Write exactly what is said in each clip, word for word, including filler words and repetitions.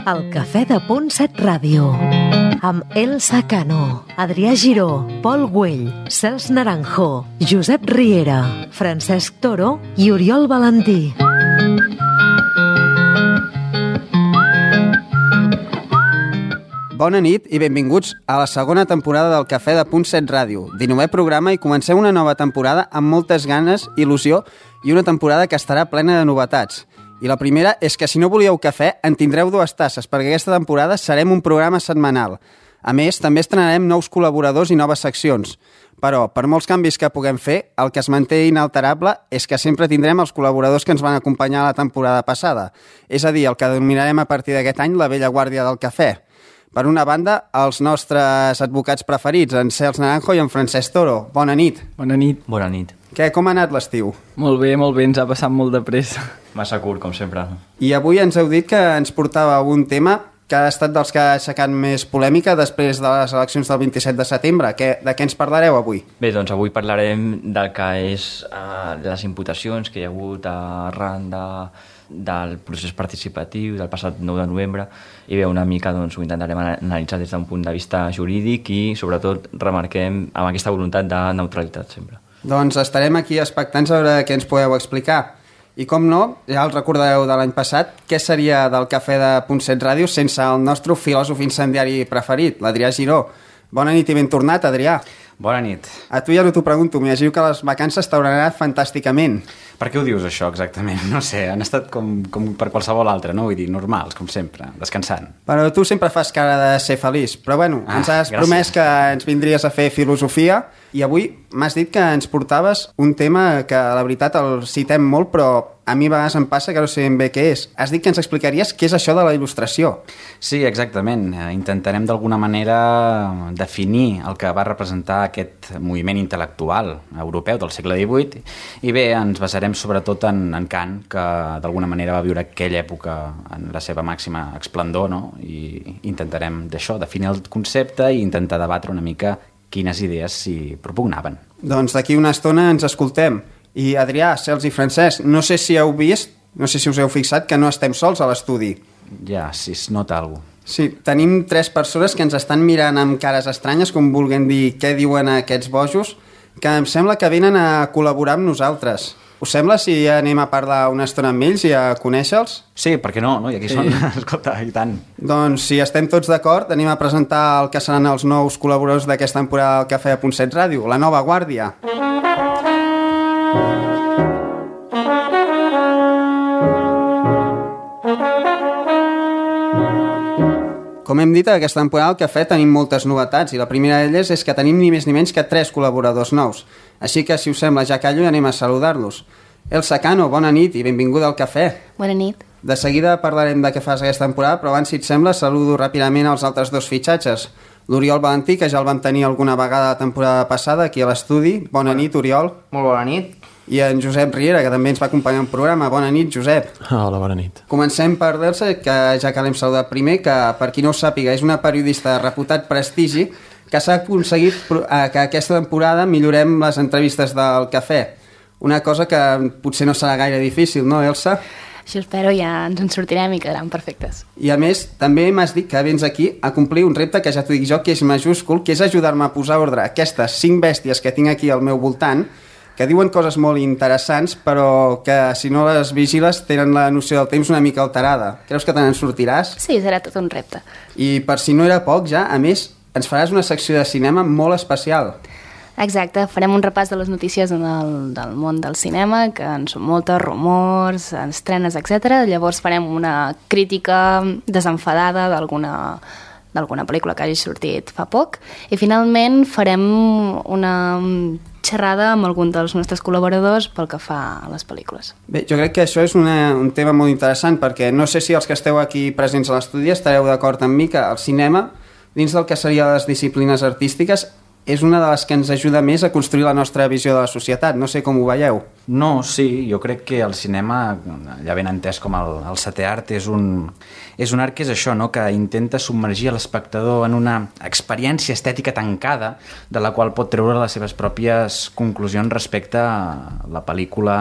El Cafè de Punt set Ràdio, amb Elsa Cano, Adrià Giró, Pol Güell, Cels Naranjo, Josep Riera, Francesc Toro i Oriol Valentí. Bona nit i benvinguts a la segona temporada del Cafè de Punt set Ràdio, dinovè programa, i comencem una nova temporada amb moltes ganes, il·lusió i una temporada que estarà plena de novetats. I la primera és que si no volíeu cafè en tindreu dues tasses, perquè aquesta temporada serem un programa setmanal. A més, també estrenarem nous col·laboradors i noves seccions. Però, per molts canvis que puguem fer, el que es manté inalterable és que sempre tindrem els col·laboradors que ens van acompanyar la temporada passada. És a dir, el que denominarem a partir d'aquest any la vella guàrdia del cafè. Per una banda, els nostres advocats preferits, en Cels Naranjo i en Francesc Toro. Bona nit. Bona nit. Bona nit. Què, com ha anat l'estiu? Molt bé, molt bé, ens ha passat molt de pressa. Massa curt, com sempre. I avui ens heu dit que ens portava un tema que ha estat dels que ha aixecat més polèmica després de les eleccions del vint-i-set de setembre. Que, de què ens parlareu avui? Bé, doncs avui parlarem del que és uh, les imputacions que hi ha hagut arran de, del procés participatiu del passat nou de novembre, i bé, una mica doncs, ho intentarem analitzar des d'un punt de vista jurídic i sobretot remarquem amb aquesta voluntat de neutralitat sempre. Doncs estarem aquí expectants a veure què ens podeu explicar. I com no, ja el recordareu de l'any passat, què seria del Cafè de Punt set Ràdio sense el nostre filòsof incendiari preferit, l'Adrià Giró. Bona nit i ben tornat, Adrià. Bona nit. A tu ja no t'ho pregunto, m'imagino que les vacances t'hauran anat fantàsticament. Per què ho dius, això, exactament? No sé, han estat com, com per qualsevol altre, no? Vull dir, normals, com sempre, descansant. Però tu sempre fas cara de ser feliç. Però bueno, ah, ens has gràcies. promès que ens vindries a fer filosofia, i avui m'has dit que ens portaves un tema que, la veritat, el citem molt, però a mi a vegades em passa que no sé ben bé què és. Has dit que ens explicaries què és això de la il·lustració. Sí, exactament. Intentarem d'alguna manera definir el que va representar aquest moviment intel·lectual europeu del segle divuit, i bé, ens basarem sobretot en, en Kant, que d'alguna manera va viure aquella època en la seva màxima esplendor, no? I intentarem d'això, definir el concepte i intentar debatre una mica quines idees s'hi propugnaven. Doncs d'aquí una estona ens escoltem. I Adrià, Cels i Francesc, no sé si heu vist, no sé si us heu fixat que no estem sols a l'estudi. Ja, si es nota alguna cosa. Sí, tenim tres persones que ens estan mirant amb cares estranyes, com vulguem dir què diuen aquests bojos, que em sembla que venen a col·laborar amb nosaltres. Us sembla si anem a parlar una estona amb ells i a conèixer-los? Sí, perquè no, no? I aquí sí. Són, escolta, i tant. Doncs si estem tots d'acord, anem a presentar el que seran els nous col·laboradors d'aquesta temporada del Cafè de Punt set Ràdio, la nova guàrdia. Com hem dit, aquesta temporada al Cafè tenim moltes novetats, i la primera d'elles és que tenim ni més ni menys que tres col·laboradors nous. Així que, si us sembla, ja callo i anem a saludar-los. Elsa Cano, bona nit i benvinguda al Cafè. Bona nit. De seguida parlarem de què fas aquesta temporada, però abans, si et sembla, saludo ràpidament els altres dos fitxatges. L'Oriol Valentí, que ja el van tenir alguna vegada la temporada passada aquí a l'estudi. Bona nit, Oriol. Molt bona nit. I en Josep Riera, que també ens va acompanyar en programa. Bona nit, Josep. Hola, bona nit. Comencem per l'Elsa, que ja que l'hem saludat primer, que per qui no ho sàpiga és una periodista de reputat prestigi, que s'ha aconseguit que aquesta temporada millorem les entrevistes del Cafè. Una cosa que potser no serà gaire difícil, no, Elsa? Això espero, ja ens en sortirem i quedaran perfectes. I a més, també m'has dit que vens aquí a complir un repte que ja t'ho dic jo, que és majúscul, que és ajudar-me a posar ordre a aquestes cinc bèsties que tinc aquí al meu voltant, que diuen coses molt interessants, però que si no les vigiles tenen la noció del temps una mica alterada. Creus que te n'en sortiràs? Sí, serà tot un repte. I per si no era poc, ja, a més, ens faràs una secció de cinema molt especial. Exacte, farem un repàs de les notícies del, del món del cinema, que en són moltes, rumors, estrenes, etcètera. Llavors farem una crítica desenfadada d'alguna d'alguna pel·lícula que hagi sortit fa poc, i finalment farem una xerrada amb algun dels nostres col·laboradors pel que fa a les pel·lícules. Bé, jo crec que això és una, un tema molt interessant, perquè no sé si els que esteu aquí presents a l'estudi estareu d'acord amb mi que el cinema, dins del que serien les disciplines artístiques, és una de les que ens ajuda més a construir la nostra visió de la societat. No sé com ho veieu. No, sí, jo crec que el cinema, ja ben entès com el, el setè art, és un, és un art que és això, no? Que intenta submergir l'espectador en una experiència estètica tancada de la qual pot treure les seves pròpies conclusions respecte a la pel·lícula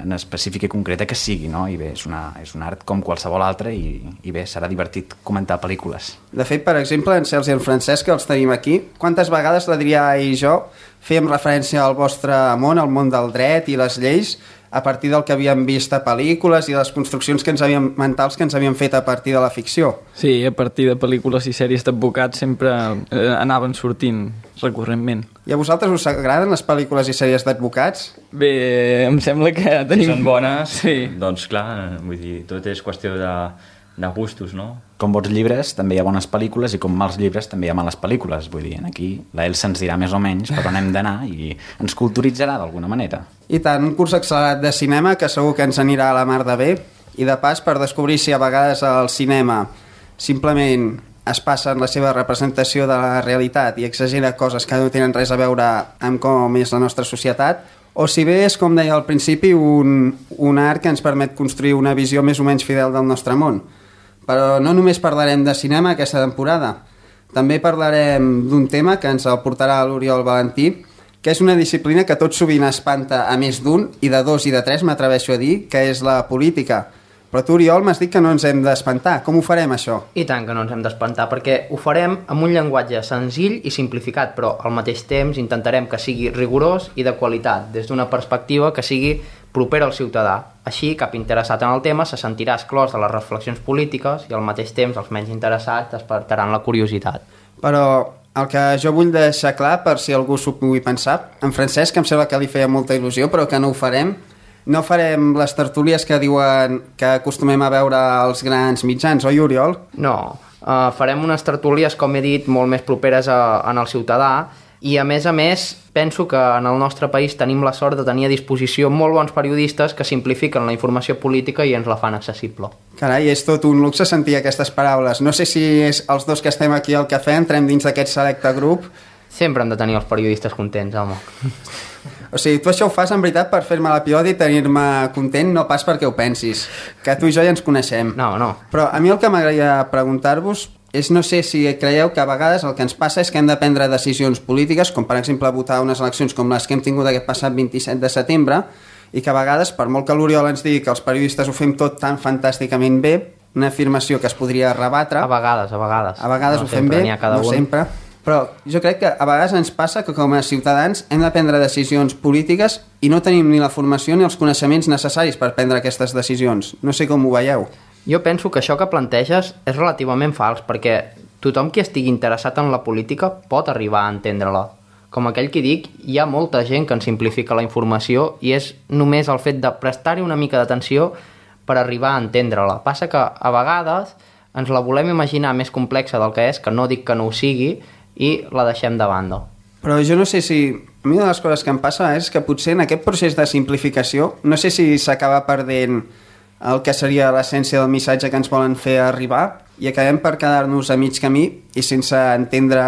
en específica i concreta que sigui, no? I bé, és, una, és un art com qualsevol altre i, i bé, serà divertit comentar pel·lícules. De fet, per exemple, en Cels i en Francesc, que els tenim aquí, quantes vegades l'Adrià i jo fèiem referència al vostre món, al món del dret i les lleis, a partir del que havíem vist a pel·lícules i les construccions que ens havíem, mentals que ens havíem fet a partir de la ficció. Sí, a partir de pel·lícules i sèries d'advocats sempre eh, anaven sortint recurrentment. I a vosaltres us agraden les pel·lícules i sèries d'advocats? Bé, em sembla que tenim... Si són bones, sí. Doncs clar, vull dir, tot és qüestió de, de gustos, no? Com bons llibres també hi ha bones pel·lícules i com mals llibres també hi ha males pel·lícules. Vull dir, aquí la Elsa ens dirà més o menys per on hem d'anar i ens culturitzarà d'alguna manera. I tant, un curs accelerat de cinema que segur que ens anirà a la mar de bé i de pas per descobrir si a vegades el cinema simplement es passa en la seva representació de la realitat i exagera coses que no tenen res a veure amb com és la nostra societat, o si bé és, com deia al principi, un, un art que ens permet construir una visió més o menys fidel del nostre món. Però no només parlarem de cinema aquesta temporada, també parlarem d'un tema que ens el portarà l'Oriol Valentí, que és una disciplina que tot sovint espanta a més d'un, i de dos i de tres m'atreveixo a dir, que és la política. Però tu, Oriol, m'has dit que no ens hem d'espantar. Com ho farem, això? I tant que no ens hem d'espantar, perquè ho farem amb un llenguatge senzill i simplificat, però al mateix temps intentarem que sigui rigorós i de qualitat, des d'una perspectiva que sigui propera al ciutadà. Així, cap interessat en el tema se sentirà exclòs de les reflexions polítiques i al mateix temps els menys interessats despertaran la curiositat. Però el que jo vull deixar clar, per si algú s'ho pugui pensar, en Francesc, que em sembla que li feia molta il·lusió, però que no ho farem, no farem les tertúlies que diuen que acostumem a veure als grans mitjans, oi, Oriol? No, uh, farem unes tertúlies, com he dit, molt més properes a, en el ciutadà, i a més a més penso que en el nostre país tenim la sort de tenir a disposició molt bons periodistes que simplifiquen la informació política i ens la fan accessible. Carai, és tot un luxe sentir aquestes paraules. No sé si és els dos que estem aquí al cafè entrem dins d'aquest selecte grup. Sempre hem de tenir els periodistes contents, home. O sigui, tu això ho fas en veritat per fer-me la pilota i tenir-me content, no pas perquè ho pensis, que tu i jo ja ens coneixem. No, no. Però a mi el que m'agradaria preguntar-vos és, no sé si creieu que a vegades el que ens passa és que hem de prendre decisions polítiques, com per exemple votar unes eleccions com les que hem tingut aquest passat vint-i-set de setembre, i que a vegades, per molt que l'Oriol ens digui que els periodistes ho fem tot tan fantàsticament bé, una afirmació que es podria rebatre... A vegades, a vegades. A vegades no ho fem bé, no sempre... Però jo crec que a vegades ens passa que com a ciutadans hem de prendre decisions polítiques i no tenim ni la formació ni els coneixements necessaris per prendre aquestes decisions. No sé com ho veieu. Jo penso que això que planteges és relativament fals, perquè tothom qui estigui interessat en la política pot arribar a entendre-la. Com aquell que dic, hi ha molta gent que ens simplifica la informació i és només el fet de prestar-hi una mica d'atenció per arribar a entendre-la. Passa que a vegades ens la volem imaginar més complexa del que és, que no dic que no ho sigui, i la deixem de banda. Però jo no sé si... A mi una de les coses que em passa és que potser en aquest procés de simplificació no sé si s'acaba perdent el que seria l'essència del missatge que ens volen fer arribar i acabem per quedar-nos a mig camí i sense entendre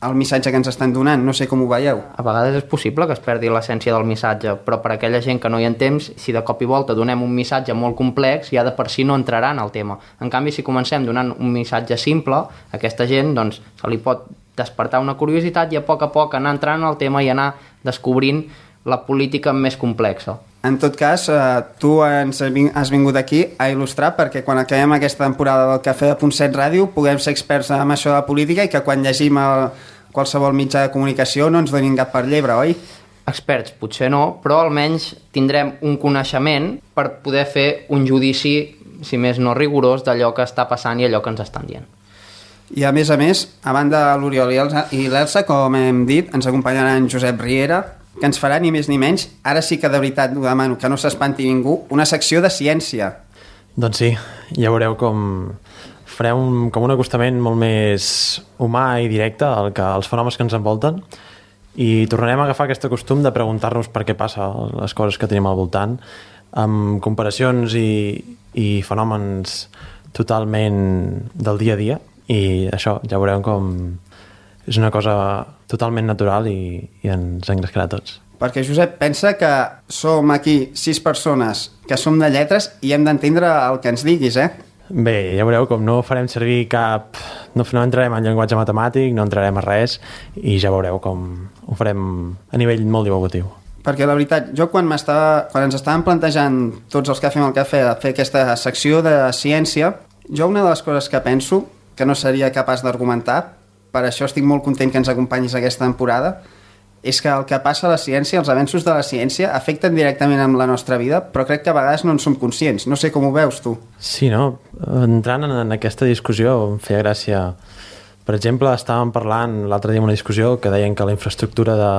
el missatge que ens estan donant. No sé com ho veieu. A vegades és possible que es perdi l'essència del missatge, però per aquella gent que no hi entén, si de cop i volta donem un missatge molt complex, ja de per si no entrarà en el tema. En canvi, si comencem donant un missatge simple, aquesta gent doncs, se li pot despertar una curiositat i a poc a poc anar entrant en el tema i anar descobrint la política més complexa. En tot cas, eh, tu ens has vingut aquí a il·lustrar perquè quan acabem aquesta temporada del Cafè de Punt set Ràdio puguem ser experts en això de la política i que quan llegim el, qualsevol mitjà de comunicació no ens donin cap per llebre, oi? Experts potser no, però almenys tindrem un coneixement per poder fer un judici, si més no rigorós, d'allò que està passant i allò que ens estan dient. I a més a més, a banda de l'Oriol i l'Elsa, com hem dit, ens acompanyarà en Josep Riera, que ens farà ni més ni menys, ara sí que de veritat ho demano, que no s'espanti ningú, una secció de ciència. Doncs sí, ja veureu com farem un, com un acostament molt més humà i directe al que, als fenòmens que ens envolten i tornarem a agafar aquest costum de preguntar-nos per què passa les coses que tenim al voltant, amb comparacions i, i fenòmens totalment del dia a dia. I això, ja veurem com, és una cosa totalment natural i, i ens engrescarà a tots. Perquè, Josep, pensa que som aquí sis persones que som de lletres i hem d'entendre el que ens diguis, eh? Bé, ja veureu com no farem servir cap... No, no entrarem en llenguatge matemàtic, no entrarem a res i ja veureu com ho farem a nivell molt divulgatiu. Perquè la veritat, jo quan, quan ens estàvem plantejant tots els que fem el cafè a fer aquesta secció de ciència, jo una de les coses que penso, que no seria capaç d'argumentar, per això estic molt content que ens acompanyis aquesta temporada, és que el que passa a la ciència, els avenços de la ciència, afecten directament amb la nostra vida, però crec que a vegades no en som conscients. No sé com ho veus, tu. Sí, no? Entrant en aquesta discussió em feia gràcia. Per exemple, estàvem parlant l'altre dia en una discussió que deien que la infraestructura de,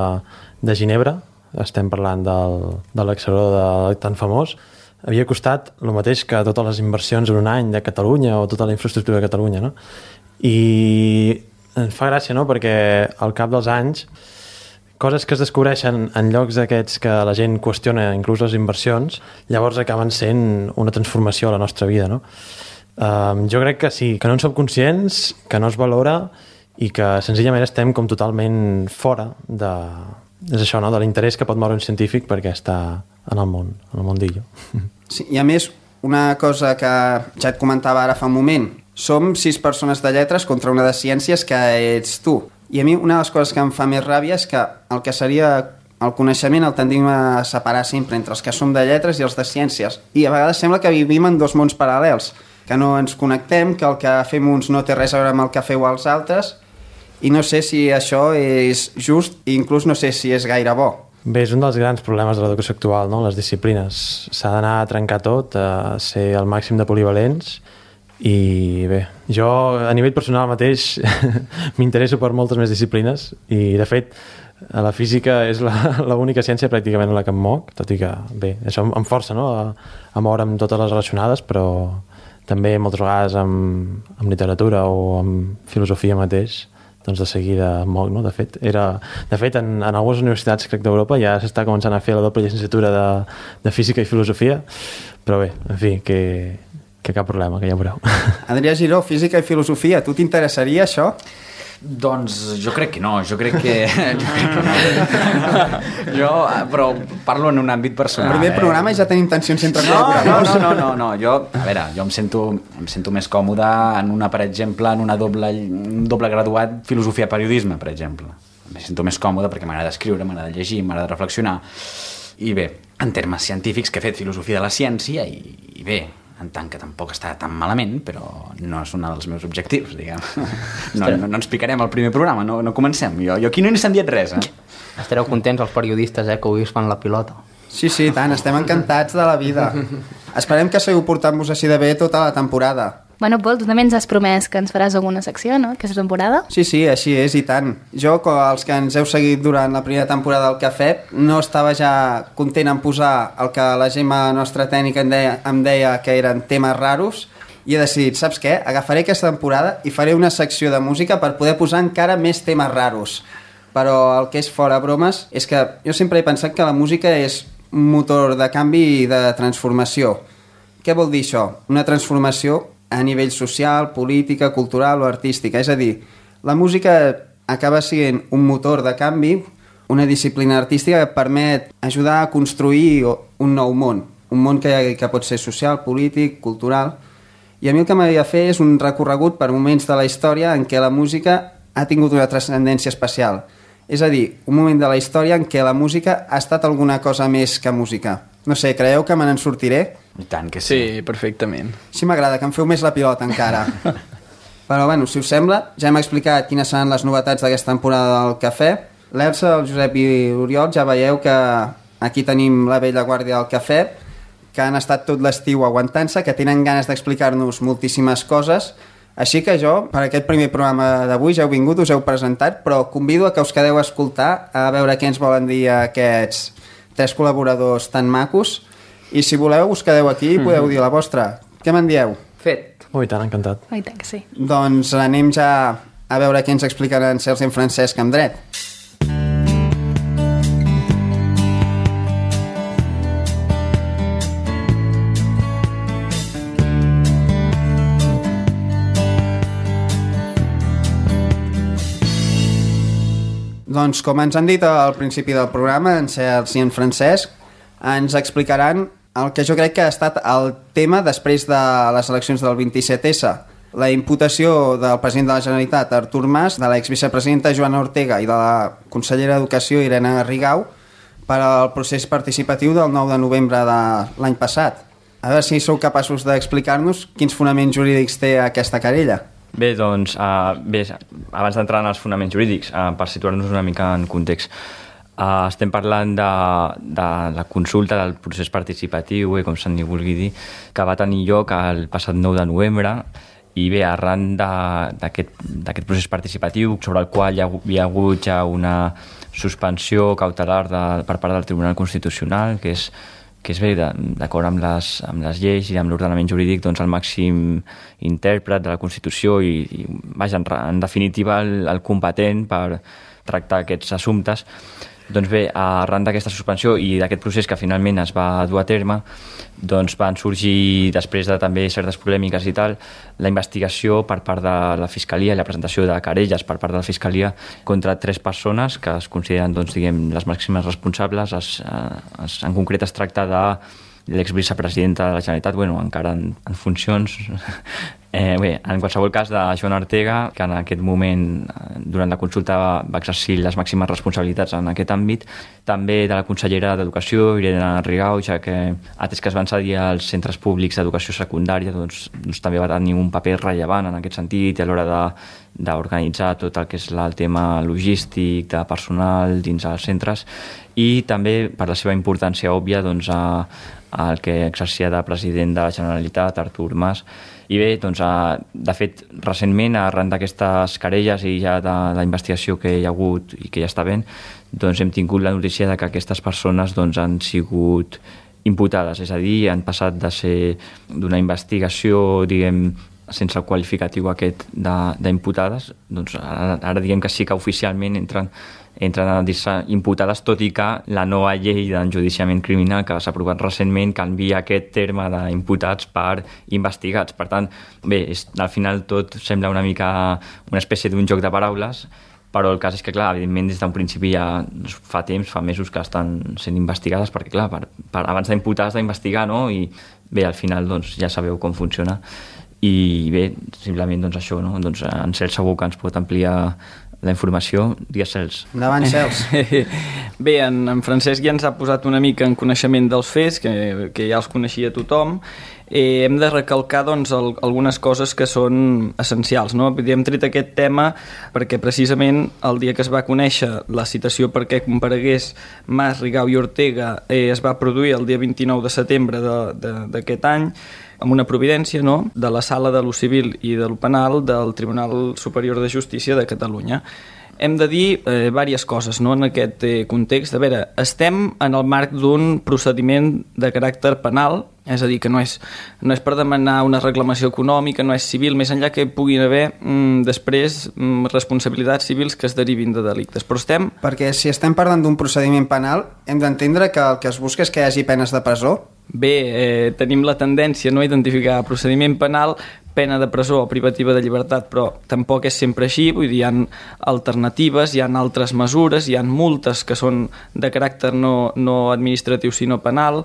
de Ginebra, estem parlant del, de l'accelerador de, tan famós, havia costat el mateix que totes les inversions en un any de Catalunya o tota la infraestructura de Catalunya, no? I em fa gràcia, no?, perquè al cap dels anys coses que es descobreixen en llocs d'aquests que la gent qüestiona inclús les inversions, llavors acaben sent una transformació a la nostra vida, no? Um, jo crec que sí, que no en som conscients, que no es valora i que senzillament estem com totalment fora de, és això, no?, de l'interès que pot moure un científic perquè està en el món, en el mundillo. Sí, i a més, una cosa que ja et comentava ara fa un moment, som sis persones de lletres contra una de ciències que ets tu. I a mi una de les coses que em fa més ràbia és que el que seria el coneixement el tendim a separar sempre entre els que som de lletres i els de ciències. I a vegades sembla que vivim en dos mons paral·lels, que no ens connectem, que el que fem uns no té res a veure amb el que feu els altres, i no sé si això és just i inclús no sé si és gaire bo. Bé, és un dels grans problemes de l'educació actual, no?, les disciplines. S'ha d'anar a trencar tot, a ser el màxim de polivalents. I bé, jo a nivell personal mateix m'interesso per moltes més disciplines i de fet la física és l'única ciència pràcticament en la que em moc, tot i que bé, això em força, no?, a, a moure amb totes les relacionades, però també moltes vegades amb, amb literatura o amb filosofia mateix, doncs de seguida em moc, no? De fet, era, de fet en, en algunes universitats, crec, d'Europa ja s'està començant a fer la doble llicenciatura de, de física i filosofia, però bé, en fi, que que cap problema, que ja ho veureu. Adrià Giró, física i filosofia, tu t'interessaria això? Doncs jo crec que no, jo crec que, jo crec que no. Jo, però parlo en un àmbit personal. El primer eh? programa ja tenim tensions entre no, col·laboradors. No, no, no, no, no, jo, a veure, jo em sento, em sento més còmode en una, per exemple, en una doble, un doble graduat filosofia-periodisme, per exemple. Em sento més còmode perquè m'agrada escriure, m'agrada llegir, m'agrada reflexionar. I bé, en termes científics, que he fet filosofia de la ciència, i, i bé, en tant que tampoc està tan malament, però no és un dels meus objectius, diguem. No, no, no ens picarem al primer programa, no, no comencem. Jo, jo aquí no he sentit res, eh? Estareu contents els periodistes, eh, que avui us fan la pilota. Sí, sí, tant, estem encantats de la vida. Esperem que seguiu portant-vos així de bé tota la temporada. Bueno, Pol, tu també ens has promès que ens faràs alguna secció, no?, aquesta temporada. Sí, sí, així és, i tant. Jo, els que ens heu seguit durant la primera temporada del Cafè, no estava ja content en posar el que la Gemma, nostra tècnica, em deia, em deia que eren temes raros, i he decidit, saps què? Agafaré aquesta temporada i faré una secció de música per poder posar encara més temes raros. Però el que és fora bromes és que jo sempre he pensat que la música és un motor de canvi i de transformació. Què vol dir això? Una transformació a nivell social, política, cultural o artística. És a dir, la música acaba sent un motor de canvi, una disciplina artística que permet ajudar a construir un nou món, un món que, que pot ser social, polític, cultural. I a mi el que m'havia de fer és un recorregut per moments de la història en què la música ha tingut una transcendència especial. És a dir, un moment de la història en què la música ha estat alguna cosa més que música. No sé, creieu que me n'en sortiré? I tant que sí. Sí, perfectament. Sí, m'agrada, que em feu més la pilota encara. Però, bueno, si us sembla, ja hem explicat quines seran les novetats d'aquesta temporada del Cafè. L'Elsa, el Josep i l'Oriol, ja veieu que aquí tenim la vella guàrdia del Cafè, que han estat tot l'estiu aguantant-se, que tenen ganes d'explicar-nos moltíssimes coses. Així que jo, per aquest primer programa d'avui, ja heu vingut, us heu presentat, però convido a que us quedeu a escoltar, a veure què ens volen dir aquests tres col·laboradors tan macos, i si voleu us quedeu aquí i podeu dir la vostra. Què me'n dieu? Fet. Ui, tant, encantat. Ui, tant que sí. Doncs anem ja a veure què ens explicaran Cels i en Francesc amb dret. Doncs com ens han dit al principi del programa, en Sergi i en Francesc ens explicaran el que jo crec que ha estat el tema després de les eleccions del vint-i-set essa. La imputació del president de la Generalitat, Artur Mas, de l'exvicepresidenta Joana Ortega i de la consellera d'Educació, Irene Rigau, per al procés participatiu del nou de novembre de l'any passat. A veure si sou capaços d'explicar-nos quins fonaments jurídics té aquesta querella. Bé, doncs, uh, bé, abans d'entrar en els fonaments jurídics, uh, per situar-nos una mica en context, uh, estem parlant de, de la consulta del procés participatiu, eh, com se'n vulgui dir, que va tenir lloc el passat nou de novembre, i bé, arran d'aquest procés participatiu, sobre el qual hi ha, hi ha hagut ja una suspensió cautelar de, per part del Tribunal Constitucional, que és que és bé, d'acord amb les, amb les lleis i amb l'ordenament jurídic, doncs el màxim intèrpret de la Constitució i, i vaja, en, en definitiva, el, el competent per tractar aquests assumptes. Doncs bé, arran d'aquesta suspensió i d'aquest procés que finalment es va dur a terme, doncs van sorgir, després de també certes polèmiques i tal, la investigació per part de la Fiscalia i la presentació de querelles per part de la Fiscalia contra tres persones que es consideren, doncs, diguem, les màximes responsables. Es, es, en concret es tracta de l'exvicepresidenta de la Generalitat, bueno, encara en, en funcions, eh, bé, en qualsevol cas de Joana Ortega, que en aquest moment, durant la consulta, va, va exercir les màximes responsabilitats en aquest àmbit, també de la consellera d'Educació, Irene Rigau, ja que, atès que es van cedir als centres públics d'educació secundària, doncs, doncs també va tenir un paper rellevant en aquest sentit, a l'hora de d'organitzar tot el que és el tema logístic, de personal dins els centres, i també per la seva importància òbvia, doncs, a, el que exercia de president de la Generalitat, Artur Mas. I bé, doncs, a, de fet, recentment, arran d'aquestes querelles i ja de la investigació que hi ha hagut i que ja està ben, doncs hem tingut la notícia de que aquestes persones, doncs, han sigut imputades, és a dir, han passat de ser d'una investigació, diguem, sense el qualificatiu aquest d'imputades, doncs ara, ara diguem que sí que oficialment entren, entren a dir-se imputades, tot i que la nova llei d'enjudiciament criminal que s'ha aprovat recentment canvia aquest terme d'imputats per investigats. Per tant, bé, és, al final tot sembla una mica una espècie d'un joc de paraules, però el cas és que, clar, evidentment des d'un principi ja fa temps, fa mesos que estan sent investigades, perquè, clar, per, per, abans d'imputar has d'investigar, no? I bé, al final doncs, ja sabeu com funciona. I bé, simplement doncs això, no? Doncs en Cels segur que ens pot ampliar la informació. Digues, Cels. Endavant, Cels. Bé, en, en Francesc ja ens ha posat una mica en coneixement dels fets, que, que ja els coneixia tothom. Eh, hem de recalcar, doncs, el, algunes coses que són essencials, no? Hem tret aquest tema perquè precisament el dia que es va conèixer la citació perquè comparegués Mas, Rigau i Ortega eh, es va produir el dia vint-i-nou de setembre d'aquest any, amb una providència, no?, de la Sala de lo Civil i de lo Penal del Tribunal Superior de Justícia de Catalunya. Hem de dir eh, diverses coses, no?, en aquest eh, context. A veure, estem en el marc d'un procediment de caràcter penal, és a dir, que no és, no és per demanar una reclamació econòmica, no és civil, més enllà que puguin haver mm, després mm, responsabilitats civils que es derivin de delictes. Però estem... Perquè si estem parlant d'un procediment penal, hem d'entendre que el que es busca és que hi hagi penes de presó? Bé, eh, tenim la tendència, no?, a identificar procediment penal, pena de presó o privativa de llibertat, però tampoc és sempre així, vull dir, hi ha alternatives, hi ha altres mesures, hi ha multes que són de caràcter no, no administratiu sinó penal,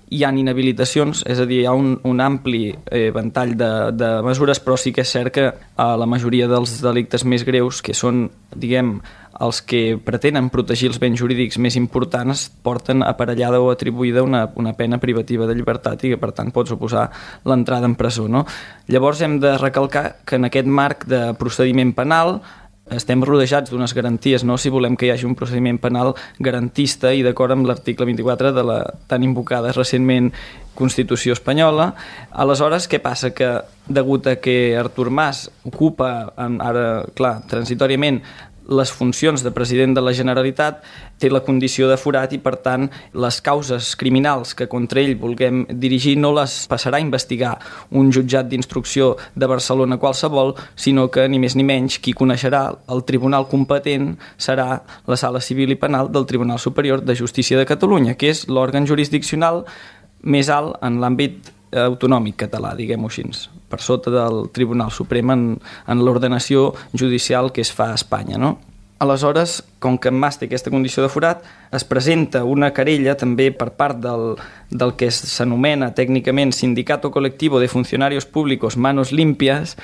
hi ha inhabilitacions, és a dir, hi ha un, un ampli eh, ventall de, de mesures, però sí que és cert que a la majoria dels delictes més greus, que són, diguem, els que pretenen protegir els béns jurídics més importants, porten aparellada o atribuïda una, una pena privativa de llibertat i que, per tant, pot suposar l'entrada en presó, no? Llavors hem de recalcar que en aquest marc de procediment penal estem rodejats d'unes garanties, no?, si volem que hi hagi un procediment penal garantista i d'acord amb l'article vint-i-quatre de la tan invocada recentment Constitució espanyola. Aleshores, què passa? Que degut a que Artur Mas ocupa, ara, clar, transitòriament, les funcions de president de la Generalitat, té la condició de forat i, per tant, les causes criminals que contra ell vulguem dirigir no les passarà a investigar un jutjat d'instrucció de Barcelona qualsevol, sinó que, ni més ni menys, qui coneixerà el tribunal competent serà la Sala Civil i Penal del Tribunal Superior de Justícia de Catalunya, que és l'òrgan jurisdiccional més alt en l'àmbit autonòmic català, diguem-ho així, per sota del Tribunal Suprem en, en l'ordenació judicial que es fa a Espanya, no? Aleshores, com que en Mas té aquesta condició de forat, es presenta una querella també per part del, del que s'anomena tècnicament Sindicato Colectivo de Funcionarios Públicos Manos Limpias,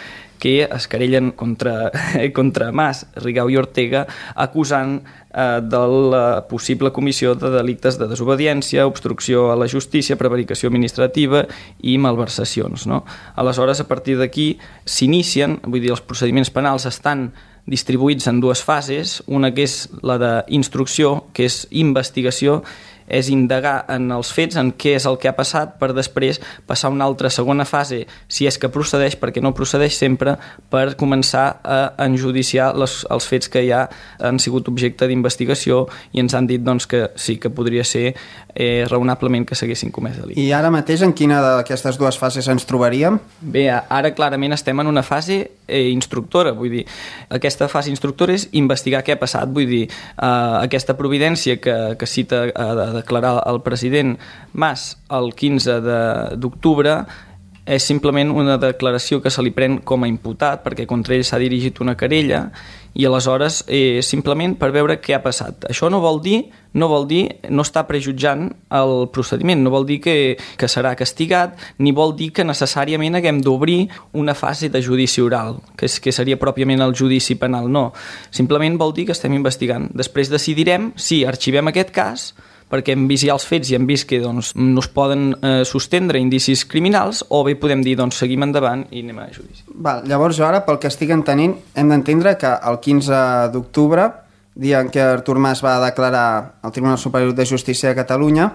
que es querellen contra, contra Mas, Rigau i Ortega, acusant eh, de la possible comissió de delictes de desobediència, obstrucció a la justícia, prevaricació administrativa i malversacions, no? Aleshores, a partir d'aquí s'inicien, vull dir, els procediments penals estan distribuïts en dues fases, una que és la d'instrucció, que és investigació, és indagar en els fets, en què és el que ha passat, per després passar a una altra segona fase, si és que procedeix, perquè no procedeix sempre, per començar a enjudiciar les, els fets que ja han sigut objecte d'investigació i ens han dit doncs, que sí que podria ser eh, raonablement que s'haguessin comès delictes. I ara mateix en quina d'aquestes dues fases ens trobaríem? Bé, ara clarament estem en una fase eh, instructora, vull dir, aquesta fase instructora és investigar què ha passat, vull dir, eh, aquesta providència que, que cita eh, declarar el president Mas el quinze d'octubre és simplement una declaració que se li pren com a imputat perquè contra ell s'ha dirigit una querella i aleshores eh, simplement per veure què ha passat. Això no vol dir, no vol dir, no està prejutjant el procediment, no vol dir que, que serà castigat, ni vol dir que necessàriament haguem d'obrir una fase de judici oral, que, és, que seria pròpiament el judici penal, no. Simplement vol dir que estem investigant. Després decidirem si arxivem aquest cas perquè hem vist ja els fets i hem vist que doncs, no es poden eh, sostendre indicis criminals, o bé podem dir, doncs, seguim endavant i anem a judici. Val, llavors jo ara, pel que estic entenint, hem d'entendre que el quinze d'octubre, dia en què Artur Mas va declarar al Tribunal Superior de Justícia de Catalunya,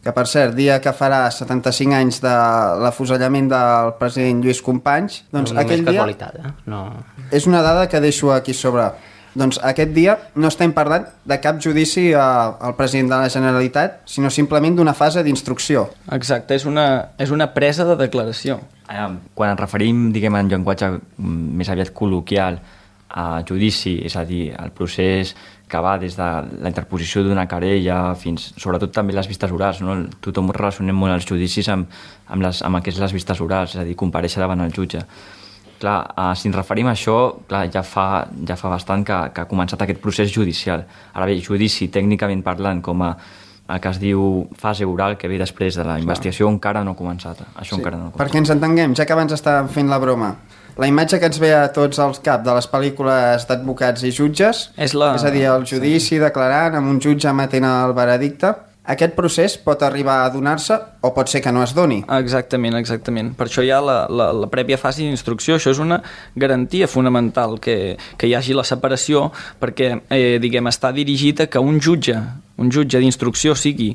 que per cert, dia que farà setanta-cinc anys de l'afusellament del president Lluís Companys, doncs no, aquell dia... casualitat, eh? No. És una dada que deixo aquí sobre... Doncs aquest dia no estem parlant de cap judici al president de la Generalitat, sinó simplement d'una fase d'instrucció. Exacte, és una, és una presa de declaració. Quan ens referim, diguem, en llenguatge més aviat col·loquial a judici, és a dir, el procés que va des de la interposició d'una querella fins, sobretot també les vistes orals, no? Tothom relacionem molt els judicis amb, amb, les, amb el que és les vistes orals, és a dir, comparèixer davant el jutge. Clar, uh, si ens referim a això, clar, ja, fa, ja fa bastant que, que ha començat aquest procés judicial. Ara bé, judici, tècnicament parlant, com a el que es diu fase oral, que ve després de la investigació, clar, encara no ha començat. Això sí, encara no ha començat. Perquè ens entenguem, ja que abans estàvem fent la broma, la imatge que ens ve a tots al cap de les pel·lícules d'advocats i jutges, és, la... és a dir, el judici declarant amb un jutge emetent el veredicte, aquest procés pot arribar a donar-se o pot ser que no es doni. Exactament, exactament. Per això hi ha la, la, la prèvia fase d'instrucció. Això és una garantia fonamental, que, que hi hagi la separació, perquè, eh, diguem, està dirigit a que un jutge, un jutge d'instrucció sigui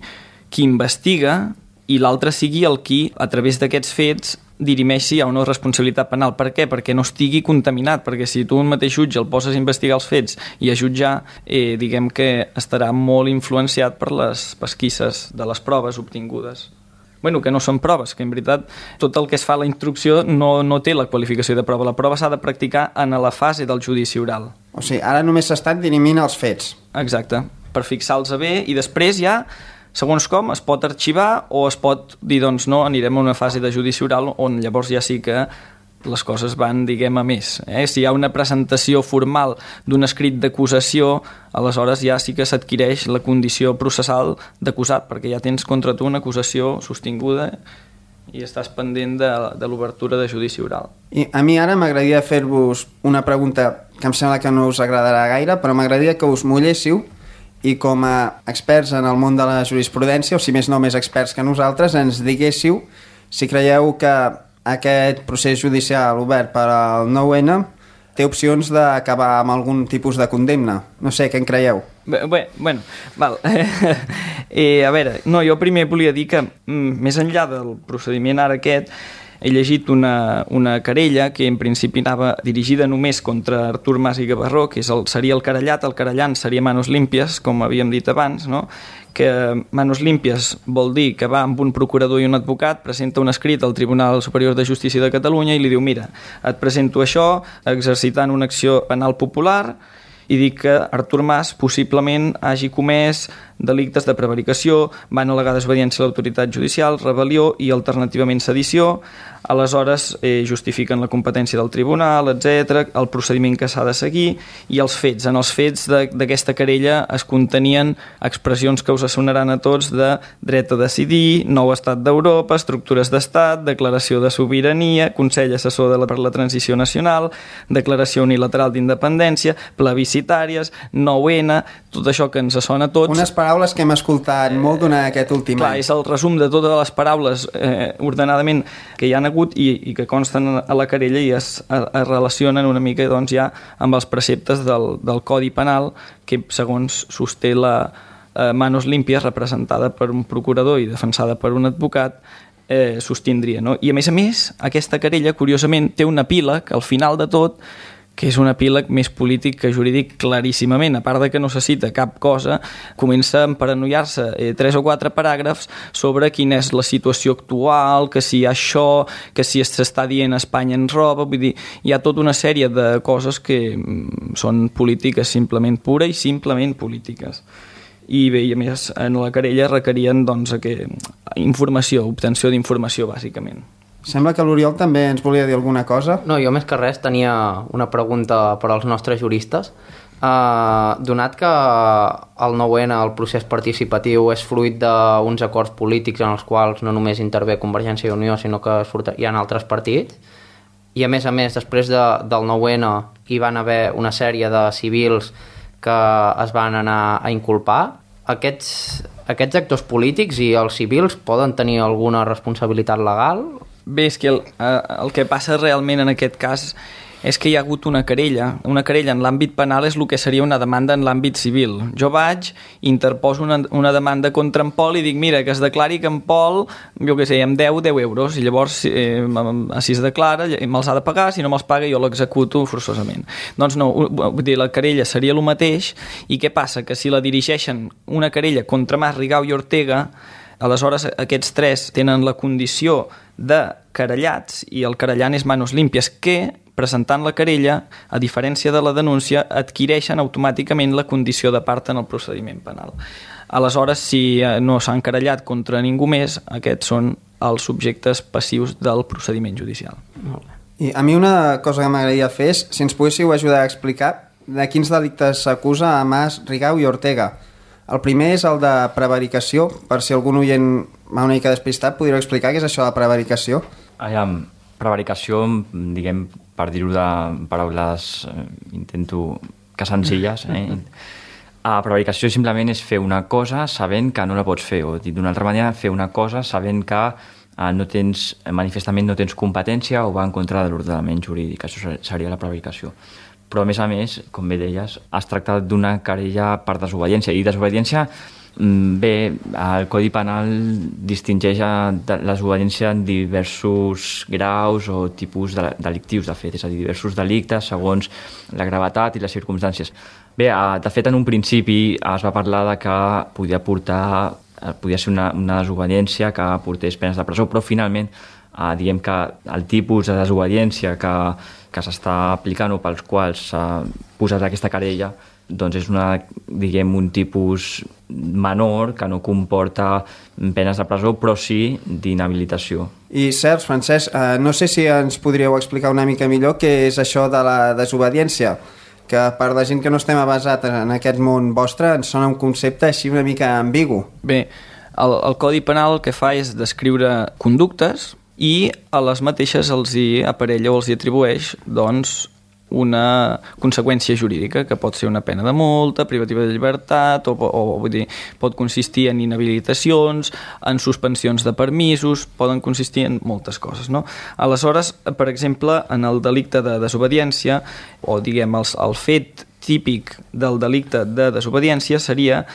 qui investiga i l'altre sigui el qui, a través d'aquests fets, dirimeixi a una responsabilitat penal. Per què? Perquè no estigui contaminat, perquè si tu un mateix jutge el poses a investigar els fets i a jutjar, eh, diguem que estarà molt influenciat per les pesquisses de les proves obtingudes. Bueno, que no són proves, que en veritat tot el que es fa a la instrucció no, no té la qualificació de prova. La prova s'ha de practicar en la fase del judici oral. O sigui, ara només s'estan dirimint els fets. Exacte, per fixar-los bé i després ja, segons com, es pot arxivar o es pot dir, doncs no, anirem a una fase de judici oral on llavors ja sí que les coses van, diguem, a més. Eh? Si hi ha una presentació formal d'un escrit d'acusació, aleshores ja sí que s'adquireix la condició processal d'acusat, perquè ja tens contra tu una acusació sostinguda i estàs pendent de, de l'obertura de judici oral. I a mi ara m'agradaria fer-vos una pregunta que em sembla que no us agradarà gaire, però m'agradaria que us mulléssiu i com a experts en el món de la jurisprudència, o si més no més experts que nosaltres, ens diguéssiu si creieu que aquest procés judicial obert per al nou ene té opcions d'acabar amb algun tipus de condemna. No sé, què en creieu? Bé, bé, bueno, val. eh, a veure, no, jo primer volia dir que mm, més enllà del procediment ara aquest, he llegit una, una querella que en principi anava dirigida només contra Artur Mas i Gavarró, que és el, seria el querellat, el querellant seria Manos Limpias, com havíem dit abans, no? Que Manos Limpias vol dir que va amb un procurador i un advocat, presenta un escrit al Tribunal Superior de Justícia de Catalunya i li diu, mira, et presento això, exercitant una acció penal popular, i dic que Artur Mas possiblement hagi comès delictes de prevaricació, van al·legar desobediència a l'autoritat judicial, rebel·lió i alternativament sedició. Aleshores eh, justifiquen la competència del tribunal, etcètera, el procediment que s'ha de seguir i els fets. En els fets d'aquesta querella es contenien expressions que us sonaran a tots de dret a decidir, nou estat d'Europa, estructures d'estat, declaració de sobirania, Consell Assessor de la, per la Transició Nacional, declaració unilateral d'independència, plebiscitàries, nou ene, tot això que ens sona a tots. Unes paraules que hem escoltat eh, molt durant aquest últim clar, any. És el resum de totes les paraules eh, ordenadament que hi han hagut i, i que consten a la querella i es, es, es relacionen una mica doncs, ja amb els preceptes del, del Codi Penal que segons sosté la eh, Manos Limpias, representada per un procurador i defensada per un advocat, eh, sostindria. No? I a més a més, aquesta querella, curiosament, té un epíleg al final de tot que és un epíleg més polític que jurídic claríssimament, a part de que no se cita cap cosa, comença a emparanoiar-se eh, tres o quatre paràgrafs sobre quina és la situació actual, que si hi ha això, que si s'està dient Espanya ens roba, vull dir, hi ha tota una sèrie de coses que mm, són polítiques simplement pura i simplement polítiques. I bé, i a més, en la querella requerien doncs, que, informació, obtenció d'informació, bàsicament. Sembla que l'Oriol també ens volia dir alguna cosa. No, jo més que res tenia una pregunta per als nostres juristes. Uh, donat que el nou ene, el procés participatiu, és fruit d'uns acords polítics en els quals no només intervé Convergència i Unió, sinó que hi ha altres partits, i a més a més, després de, del nou ene hi van haver una sèrie de civils que es van anar a inculpar, aquests, aquests actors polítics i els civils poden tenir alguna responsabilitat legal? Bé, és que el, el que passa realment en aquest cas és que hi ha hagut una querella. Una querella en l'àmbit penal és el que seria una demanda en l'àmbit civil. Jo vaig, interposo una, una demanda contra en Pol i dic, mira, que es declari que en Pol, jo què sé, em deu deu euros, i llavors, eh, si es declara, me'ls ha de pagar, si no me'ls paga jo l'executo forçosament. Doncs no, vull dir, la querella seria el mateix, i què passa? Que si la dirigeixen una querella contra Mas, Rigau i Ortega, aleshores aquests tres tenen la condició de querellats i el querellant és Manos Limpias, que, presentant la querella, a diferència de la denúncia, adquireixen automàticament la condició de part en el procediment penal. Aleshores, si no s'han querellat contra ningú més, aquests són els subjectes passius del procediment judicial. I a mi una cosa que m'agradaria fer és, si ens poguéssiu ajudar a explicar de quins delictes s'acusa a Mas, Rigau i Ortega. El primer és el de prevaricació. Per si algun oient va una mica despistat, podríeu explicar què és això de prevaricació? Aviam, prevaricació, diguem, per dir-ho de paraules, eh, intento que senzilles, eh? A prevaricació simplement és fer una cosa sabent que no la pots fer, o dit d'una altra manera, fer una cosa sabent que eh, no tens, manifestament no tens competència o va en contra de l'ordenament jurídic. Això seria la prevaricació. Però, a més a més, com bé deies, es tracta d'una querella per desobediència. I desobediència, bé, el Codi Penal distingeix la desobediència en diversos graus o tipus de delictius, de fet, és a dir, diversos delictes segons la gravetat i les circumstàncies. Bé, de fet, en un principi es va parlar de que podia portar, podia ser una, una desobediència que portés penes de presó, però finalment Uh, diguem que el tipus de desobediència que, que s'està aplicant o pels quals s'ha posat aquesta querella doncs és una, diguem, un tipus menor que no comporta penes de presó, però sí d'inhabilitació. I Sergi, Francesc, uh, no sé si ens podríeu explicar una mica millor què és això de la desobediència, que per la gent que no estem avasat en aquest món vostre ens sona un concepte així una mica ambigu. Bé, el, el Codi Penal el que fa és descriure conductes i a les mateixes els hi aparella o els hi atribueix doncs, una conseqüència jurídica, que pot ser una pena de multa, privativa de llibertat, o, o vull dir, pot consistir en inhabilitacions, en suspensions de permisos, poden consistir en moltes coses. No? Aleshores, per exemple, en el delicte de desobediència, o diguem, el, el fet típic del delicte de desobediència seria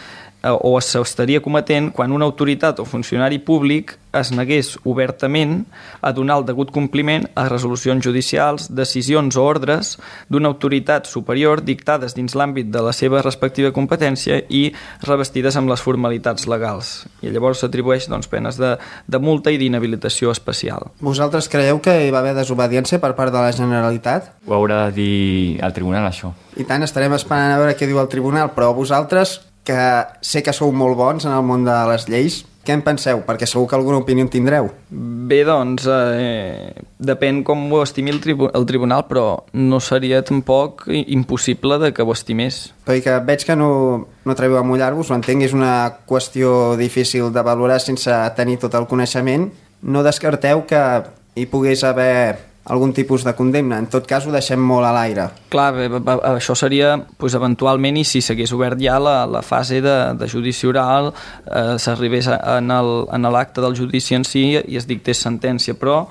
o s'estaria cometent quan una autoritat o funcionari públic es negués obertament a donar el degut compliment a resolucions judicials, decisions o ordres d'una autoritat superior dictades dins l'àmbit de la seva respectiva competència i revestides amb les formalitats legals. I llavors s'atribueix doncs, penes de, de multa i d'inhabilitació especial. Vosaltres creieu que hi va haver desobediència per part de la Generalitat? Ho haurà de dir el tribunal, això. I tant, estarem esperant a veure què diu el tribunal, però vosaltres que sé que sou molt bons en el món de les lleis. Què en penseu? Perquè segur que alguna opinió en tindreu. Bé, doncs, eh, depèn com ho estimi el, tribu el tribunal, però no seria tampoc impossible de que ho estimés. Perquè veig que no, no atreviu a mullar-vos, ho entenc, és una qüestió difícil de valorar sense tenir tot el coneixement. No descarteu que hi pogués haver algun tipus de condemna. En tot cas, ho deixem molt a l'aire. Clar, bé, bé, això seria doncs, eventualment, i si s'hagués obert ja la, la fase de, de judici oral, eh, s'arribés en l'acte del judici en si i es dictés sentència, però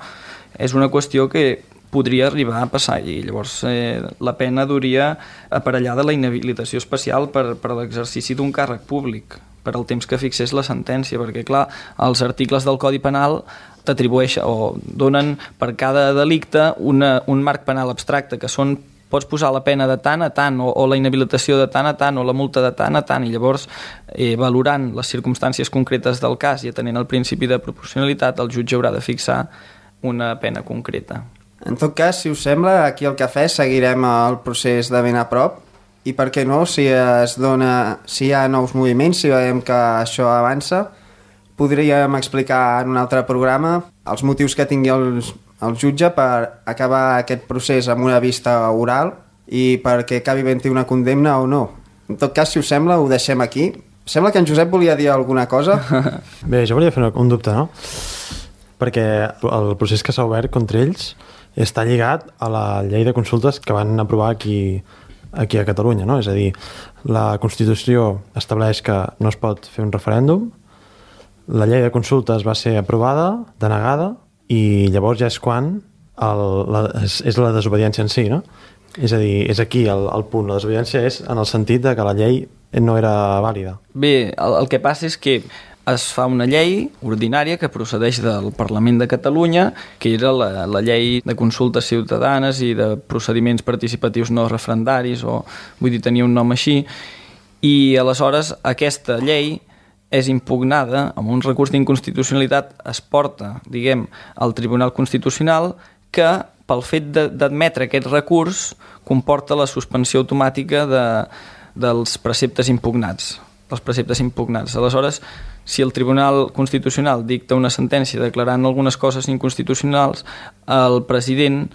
és una qüestió que podria arribar a passar i llavors eh, la pena duria aparellada la inhabilitació especial per, per l'exercici d'un càrrec públic per al temps que fixés la sentència, perquè clar, els articles del Codi Penal t'atribueixen o donen per cada delicte una, un marc penal abstracte, que són, pots posar la pena de tant a tant, o, o la inhabilitació de tant a tant, o la multa de tant a tant, i llavors, eh, valorant les circumstàncies concretes del cas i atenent el principi de proporcionalitat, el jutge haurà de fixar una pena concreta. En tot cas, si us sembla, aquí al Cafè seguirem el procés de ben a prop, i per què no, si es dona, si hi ha nous moviments, si veiem que això avança, podríem explicar en un altre programa els motius que tingui el, el jutge per acabar aquest procés amb una vista oral i perquè acabi havent-hi una condemna o no. En tot cas, si us sembla, ho deixem aquí. Sembla que en Josep volia dir alguna cosa. Bé, jo volia fer un dubte, no? Perquè el procés que s'ha obert contra ells està lligat a la llei de consultes que van aprovar aquí, aquí a Catalunya, no? És a dir, la Constitució estableix que no es pot fer un referèndum, la llei de consultes va ser aprovada, denegada, i llavors ja és quan el, la, és, és la desobediència en si, no? És a dir, és aquí el, el punt. La desobediència és en el sentit de que la llei no era vàlida. Bé, el, el que passa és que es fa una llei ordinària que procedeix del Parlament de Catalunya, que era la, la llei de consultes ciutadanes i de procediments participatius no referendaris, o vull dir, tenia un nom així, i aleshores aquesta llei és impugnada amb un recurs d'inconstitucionalitat, es porta, diguem, al Tribunal Constitucional, que pel fet d'admetre aquest recurs comporta la suspensió automàtica de, dels preceptes impugnats. Els preceptes impugnats. Aleshores, si el Tribunal Constitucional dicta una sentència declarant algunes coses inconstitucionals, el president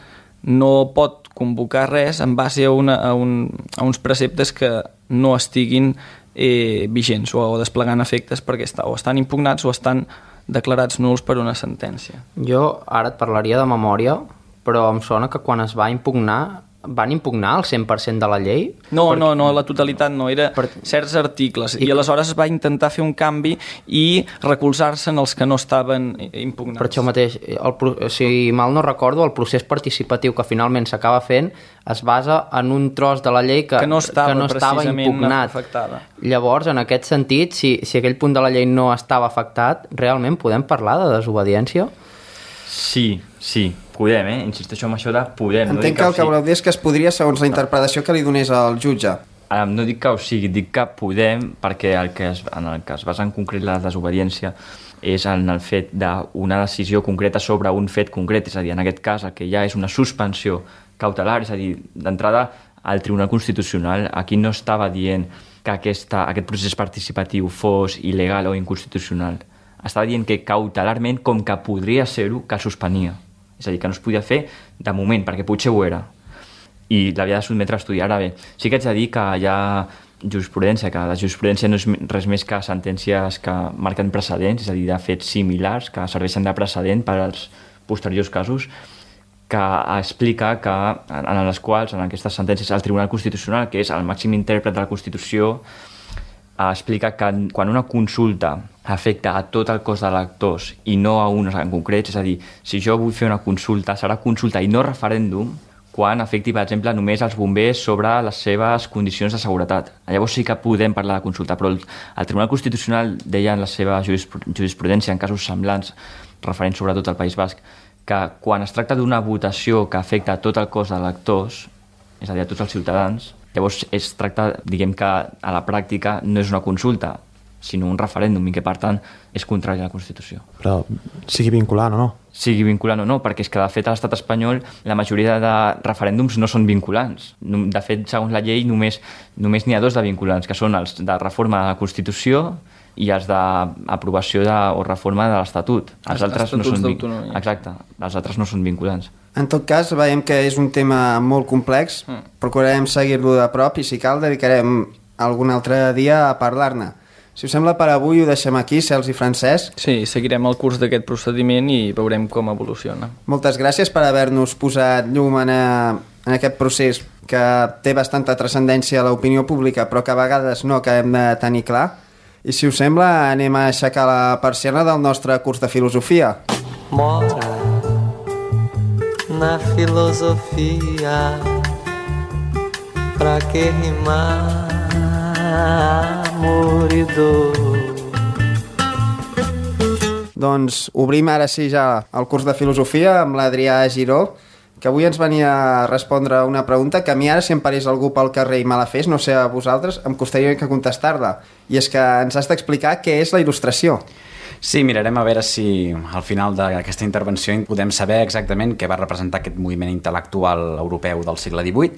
no pot convocar res en base a, una, a, un, a uns preceptes que no estiguin eh, vigents o, o desplegant efectes perquè està, o estan impugnats o estan declarats nuls per una sentència. Jo ara et parlaria de memòria, però em sona que quan es va impugnar van impugnar el cent per cent de la llei? No, perquè... no, no, la totalitat no, era per... certs articles, i... i aleshores es va intentar fer un canvi i recolzar-se en els que no estaven impugnats. Per això mateix, el, si mal no recordo, el procés participatiu que finalment s'acaba fent es basa en un tros de la llei que, que no estava, que no estava impugnat. Afectada. Llavors, en aquest sentit, si, si aquell punt de la llei no estava afectat, realment podem parlar de desobediència? Sí, sí, podem, eh? Insisteixo en això de podem. Entenc no que el que voleu dir és que es podria segons la interpretació que li donés al jutge. Ara, no dic que o sigui, dic que podem, perquè el que es, en el que es basa en concret la desobediència és en el fet d'una decisió concreta sobre un fet concret, és a dir, en aquest cas el que hi ha és una suspensió cautelar, és a dir, d'entrada al Tribunal Constitucional aquí no estava dient que aquesta, aquest procés participatiu fos il·legal o inconstitucional. Estava dient que cautelarment, com que podria ser-ho, que el suspenia. És a dir, que no es podia fer de moment, perquè potser ho era. I l'havia de sotmetre a estudi. Ara bé, sí que haig de dir que hi ha jurisprudència, que la jurisprudència no és res més que sentències que marquen precedents, és a dir, de fets similars, que serveixen de precedent per als posteriors casos, que explica que, en les quals, en aquestes sentències, el Tribunal Constitucional, que és el màxim intèrpret de la Constitució, explica que quan una consulta afecta a tot el cos d'electors i no a uns en concret, és a dir, si jo vull fer una consulta, serà consulta i no referèndum quan afecti, per exemple, només els bombers sobre les seves condicions de seguretat. Llavors sí que podem parlar de consulta, però el, el Tribunal Constitucional deia en la seva jurisprudència, en casos semblants, referents sobretot al País Basc, que quan es tracta d'una votació que afecta a tot el cos d'electors, és a dir, a tots els ciutadans, llavors es tracta, diguem que a la pràctica no és una consulta, sinó un referèndum i que, per tant, és contrari a la Constitució. Però sigui vinculant o no? Sigui vinculant o no, perquè és que, de fet, a l'estat espanyol la majoria de referèndums no són vinculants. De fet, segons la llei, només només n'hi ha dos de vinculants, que són els de reforma de la Constitució i els d'aprovació de, o reforma de l'Estatut. Els altres no són vinculants. Exacte, els altres no són vinculants. En tot cas, veiem que és un tema molt complex, mm. procurarem seguir-lo de prop i, si cal, dedicarem algun altre dia a parlar-ne. Si us sembla, per avui ho deixem aquí, Cels i Francesc. Sí, seguirem el curs d'aquest procediment i veurem com evoluciona. Moltes gràcies per haver-nos posat llum en, a, en aquest procés que té bastanta transcendència a l'opinió pública, però que a vegades no acabem de tenir clar. I si us sembla, anem a aixecar la persiana del nostre curs de filosofia. Mora na filosofia, pra que rimar amor i dor. Doncs obrim ara sí ja el curs de filosofia amb l'Adrià Giró, que avui ens venia a respondre una pregunta que a mi ara, si em parés algú pel carrer i me la fes, no sé a vosaltres, em costaria que contestar-la. I és que ens has d'explicar què és la il·lustració. Sí, mirarem a veure si al final d'aquesta intervenció podem saber exactament què va representar aquest moviment intel·lectual europeu del segle divuit.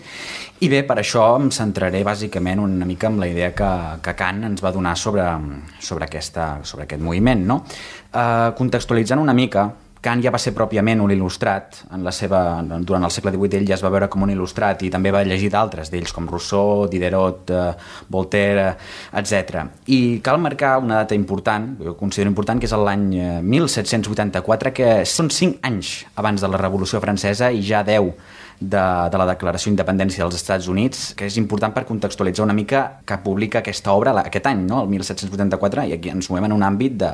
I bé, per això em centraré bàsicament una mica en la idea que, que Kant ens va donar sobre, sobre, aquesta, sobre aquest moviment, no? Uh, contextualitzant una mica, Kant ja va ser pròpiament un il·lustrat. En la seva, durant el segle divuit ell ja es va veure com un il·lustrat i també va llegir d'altres d'ells, com Rousseau, Diderot, eh, Voltaire, etcètera. I cal marcar una data important, jo considero important, que és l'any mil set-cents vuitanta-quatre, que són cinc anys abans de la Revolució Francesa i ja deu de, de la Declaració d'Independència dels Estats Units, que és important per contextualitzar una mica que publica aquesta obra aquest any, no? El mil set-cents vuitanta-quatre, i aquí ens movem en un àmbit de,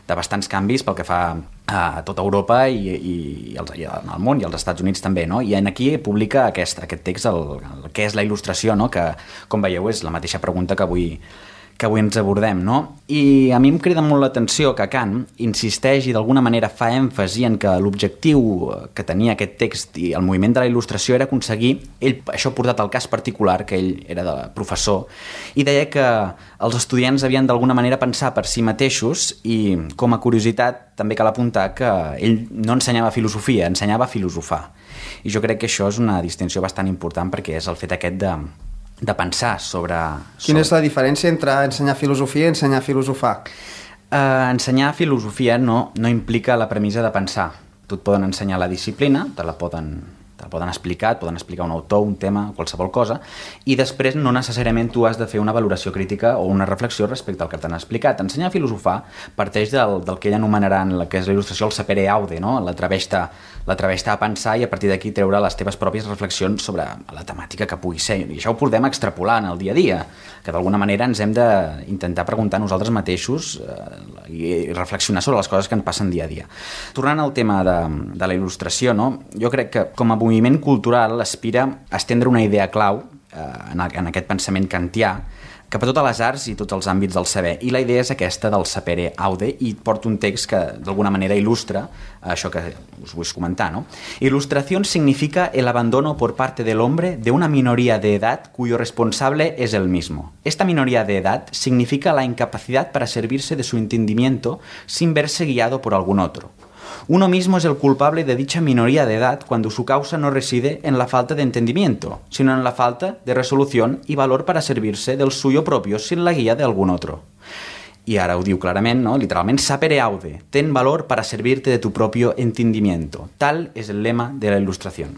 de bastants canvis pel que fa a tota Europa i, i, i, els, i al món i als Estats Units també, no? I en aquí publica aquest, aquest text, el, el que és la il·lustració, no? Que, com veieu, és la mateixa pregunta que avui, que avui ens abordem, no? I a mi em crida molt l'atenció que Kant insisteix i d'alguna manera fa èmfasi en que l'objectiu que tenia aquest text i el moviment de la il·lustració era aconseguir, ell, això portat al cas particular, que ell era de professor, i deia que els estudiants havien d'alguna manera pensar per si mateixos i, com a curiositat, també cal apuntar que ell no ensenyava filosofia, ensenyava a filosofar. I jo crec que això és una distinció bastant important perquè és el fet aquest de de pensar sobre... Quina és la diferència entre ensenyar filosofia i ensenyar a filosofar? Uh, ensenyar filosofia no, no implica la premissa de pensar. Tu et poden ensenyar la disciplina, te la poden, te la poden explicar, et poden explicar un autor, un tema, qualsevol cosa, i després no necessàriament tu has de fer una valoració crítica o una reflexió respecte al que t'han explicat. Ensenyar a filosofar parteix del, del que ell anomenarà en la que és la il·lustració el sapere aude, no? L'atreveix-te l'atreveix-te a pensar i a partir d'aquí treure les teves pròpies reflexions sobre la temàtica que pugui ser. I això ho podem extrapolar en el dia a dia, que d'alguna manera ens hem d'intentar preguntar nosaltres mateixos eh, i reflexionar sobre les coses que ens passen dia a dia. Tornant al tema de, de la il·lustració, no? Jo crec que com a moviment cultural aspira a estendre una idea clau eh, en, en aquest pensament kantià cap a totes les arts i tots els àmbits del saber. I la idea és aquesta del sapere aude, i porto un text que d'alguna manera il·lustra això que us vull comentar, ¿no? Ilustración significa el abandono por parte del hombre de una minoría de edad cuyo responsable es el mismo. Esta minoría de edad significa la incapacidad para servirse de su entendimiento sin verse guiado por algún otro. Uno mismo es el culpable de dicha minoría de edad cuando su causa no reside en la falta de entendimiento, sino en la falta de resolución y valor para servirse del suyo propio sin la guía de algún otro. I ara ho diu clarament, no? Literalment, sapere aude, ten valor para servirte de tu propio entendimiento. Tal és el lema de la il·lustració.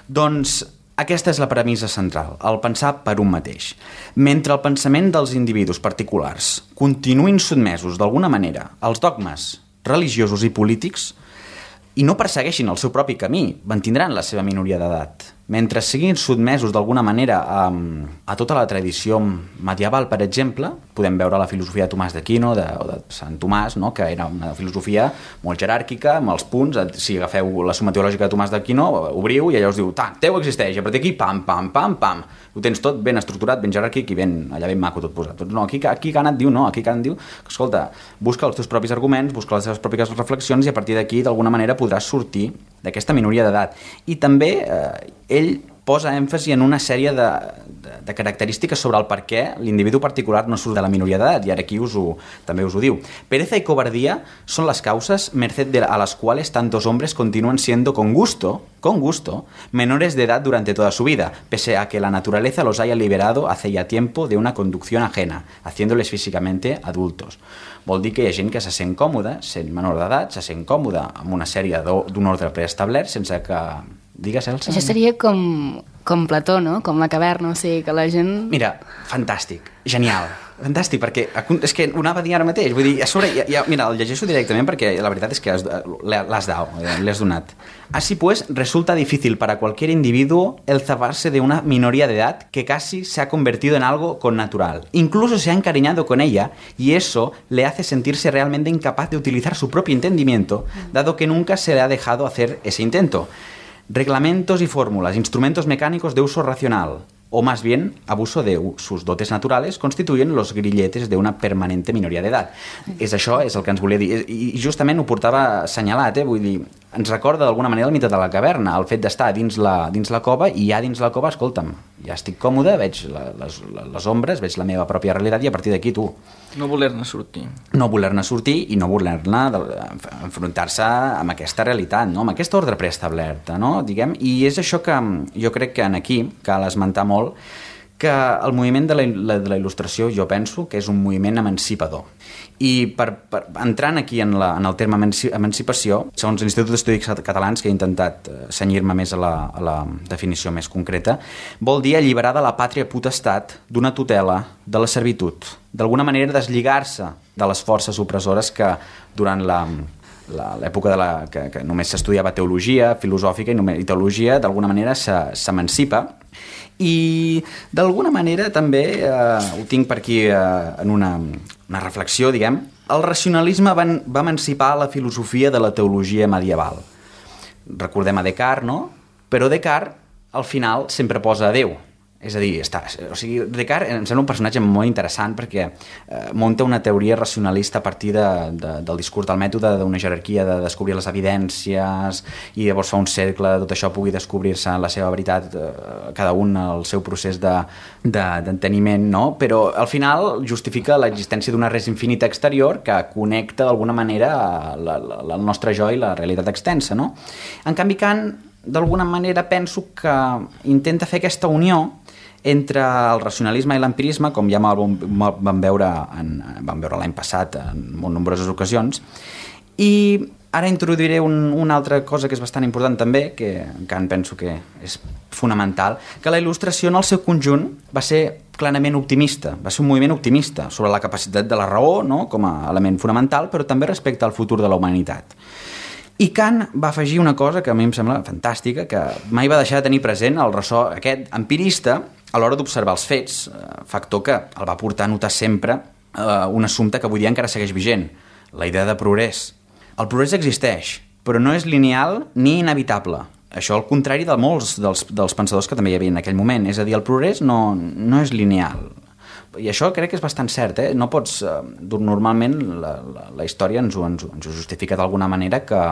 Doncs aquesta és la premissa central, el pensar per un mateix. Mentre el pensament dels individus particulars continuïn sotmesos d'alguna manera als dogmes religiosos i polítics i no persegueixin el seu propi camí, mantindran la seva minoria d'edat. Mentre siguin sotmesos d'alguna manera a, a tota la tradició medieval, per exemple, podem veure la filosofia de Tomàs d'Aquino de, o de Sant Tomàs, no? Que era una filosofia molt jeràrquica, amb els punts. Si agafeu la Suma Teològica de Tomàs d'Aquino, obriu i allà us diu, ta, Déu existeix, i a partir d'aquí, pam, pam, pam, pam. Ho tens tot ben estructurat, ben jeràrquic i ben, allà ben maco tot posat. Doncs no, aquí, aquí Kant et diu, no, aquí Kant diu, escolta, busca els teus propis arguments, busca les teves pròpies reflexions i a partir d'aquí, d'alguna manera, podràs sortir d'aquesta minoria d'edat. I també eh, ell posa èmfasi en una sèrie de, de, de característiques sobre el per què l'individu particular no surt de la minoria d'edat, i ara aquí us ho, també us ho diu. Pereza y cobardía son las causas merced de, a las cuales tantos hombres continúan siendo con gusto, con gusto, menores de edad durante toda su vida, pese a que la naturaleza los haya liberado hace ya tiempo de una conducción ajena, haciéndoles físicamente adultos. Vol dir que hi ha gent que se sent còmoda, sent menor d'edat, se sent còmoda amb una sèrie d'un ordre preestablert sense que... Digues, Elsa? Això seria com, com Plató, no? Com la caverna, o sigui, que la gent... Mira, fantàstic, genial, fantàstic, perquè és que ho anava a dir ara mateix, vull dir, a sobre, ja, ja, mira, el llegeixo directament perquè la veritat és que l'has dado, l'has donat. Así pues, resulta difícil para cualquier individuo el zafarse de una minoría de edad que casi se ha convertido en algo connatural. Incluso se ha encariñado con ella y eso le hace sentirse realmente incapaz de utilizar su propio entendimiento, dado que nunca se le ha dejado hacer ese intento. Reglamentos y fórmulas, instrumentos mecánicos de uso racional, o más bien abuso de sus dotes naturales, constituyen los grilletes de una permanente minoria d'edat. És això, és el que ens volia dir. I justament ho portava assenyalat, eh? Vull dir, ens recorda d'alguna manera el mite de la caverna, el fet d'estar dins la, dins la cova, i ja dins la cova, escolta'm, ja estic còmode, veig la, les, les ombres, veig la meva pròpia realitat, i a partir d'aquí tu. No voler-ne sortir. No voler-ne sortir i no voler-ne enfrontar-se amb aquesta realitat, no? Amb aquest ordre preestablerta, no? Diguem, i és això que jo crec que en aquí cal esmentar molt, que el moviment de la, de la il·lustració jo penso que és un moviment emancipador. I per, per, entrant aquí en, la, en el terme emancipació, segons l'Institut d'Estudis Catalans, que he intentat cenyir-me més a la, a la definició més concreta, vol dir alliberar de la pàtria potestat d'una tutela de la servitud, d'alguna manera deslligar-se de les forces opressores que durant la l'època de la, que, que només s'estudiava teologia filosòfica i, només, i teologia d'alguna manera s'emancipa. I d'alguna manera també eh, ho tinc per aquí eh, en una, una reflexió, diguem, el racionalisme va, va emancipar la filosofia de la teologia medieval. Recordem a Descartes, no? Però Descartes al final sempre posa a Déu. És a dir, està, o sigui, Descartes em sembla un personatge molt interessant perquè eh, munta una teoria racionalista a partir de, de, del discurs del mètode, d'una jerarquia de descobrir les evidències, i llavors fa un cercle de tot això pugui descobrir-se la seva veritat, eh, cada un el seu procés de, de, d'enteniment, no? Però al final justifica l'existència d'una res infinita exterior que connecta d'alguna manera la, la, el nostre jo i la realitat extensa, no? En canvi, Kant, d'alguna manera, penso que intenta fer aquesta unió entre el racionalisme i l'empirisme, com ja vam veure, en, vam veure l'any passat en molt nombroses ocasions, i ara introduiré un, una altra cosa que és bastant important també, que Kant penso que és fonamental, que la il·lustració en el seu conjunt va ser clarament optimista, va ser un moviment optimista sobre la capacitat de la raó, no?, com a element fonamental, però també respecte al futur de la humanitat. I Kant va afegir una cosa que a mi em sembla fantàstica, que mai va deixar de tenir present el ressò aquest empirista a l'hora d'observar els fets, factor que el va portar a notar sempre eh, un assumpte que avui dia encara segueix vigent, la idea de progrés. El progrés existeix, però no és lineal ni inevitable. Això al contrari de molts dels, dels pensadors que també hi havia en aquell moment. És a dir, el progrés no, no és lineal. I això crec que és bastant cert, eh? No pots... Eh, normalment la, la, la història ens ho, ens, ens ho justifica d'alguna manera que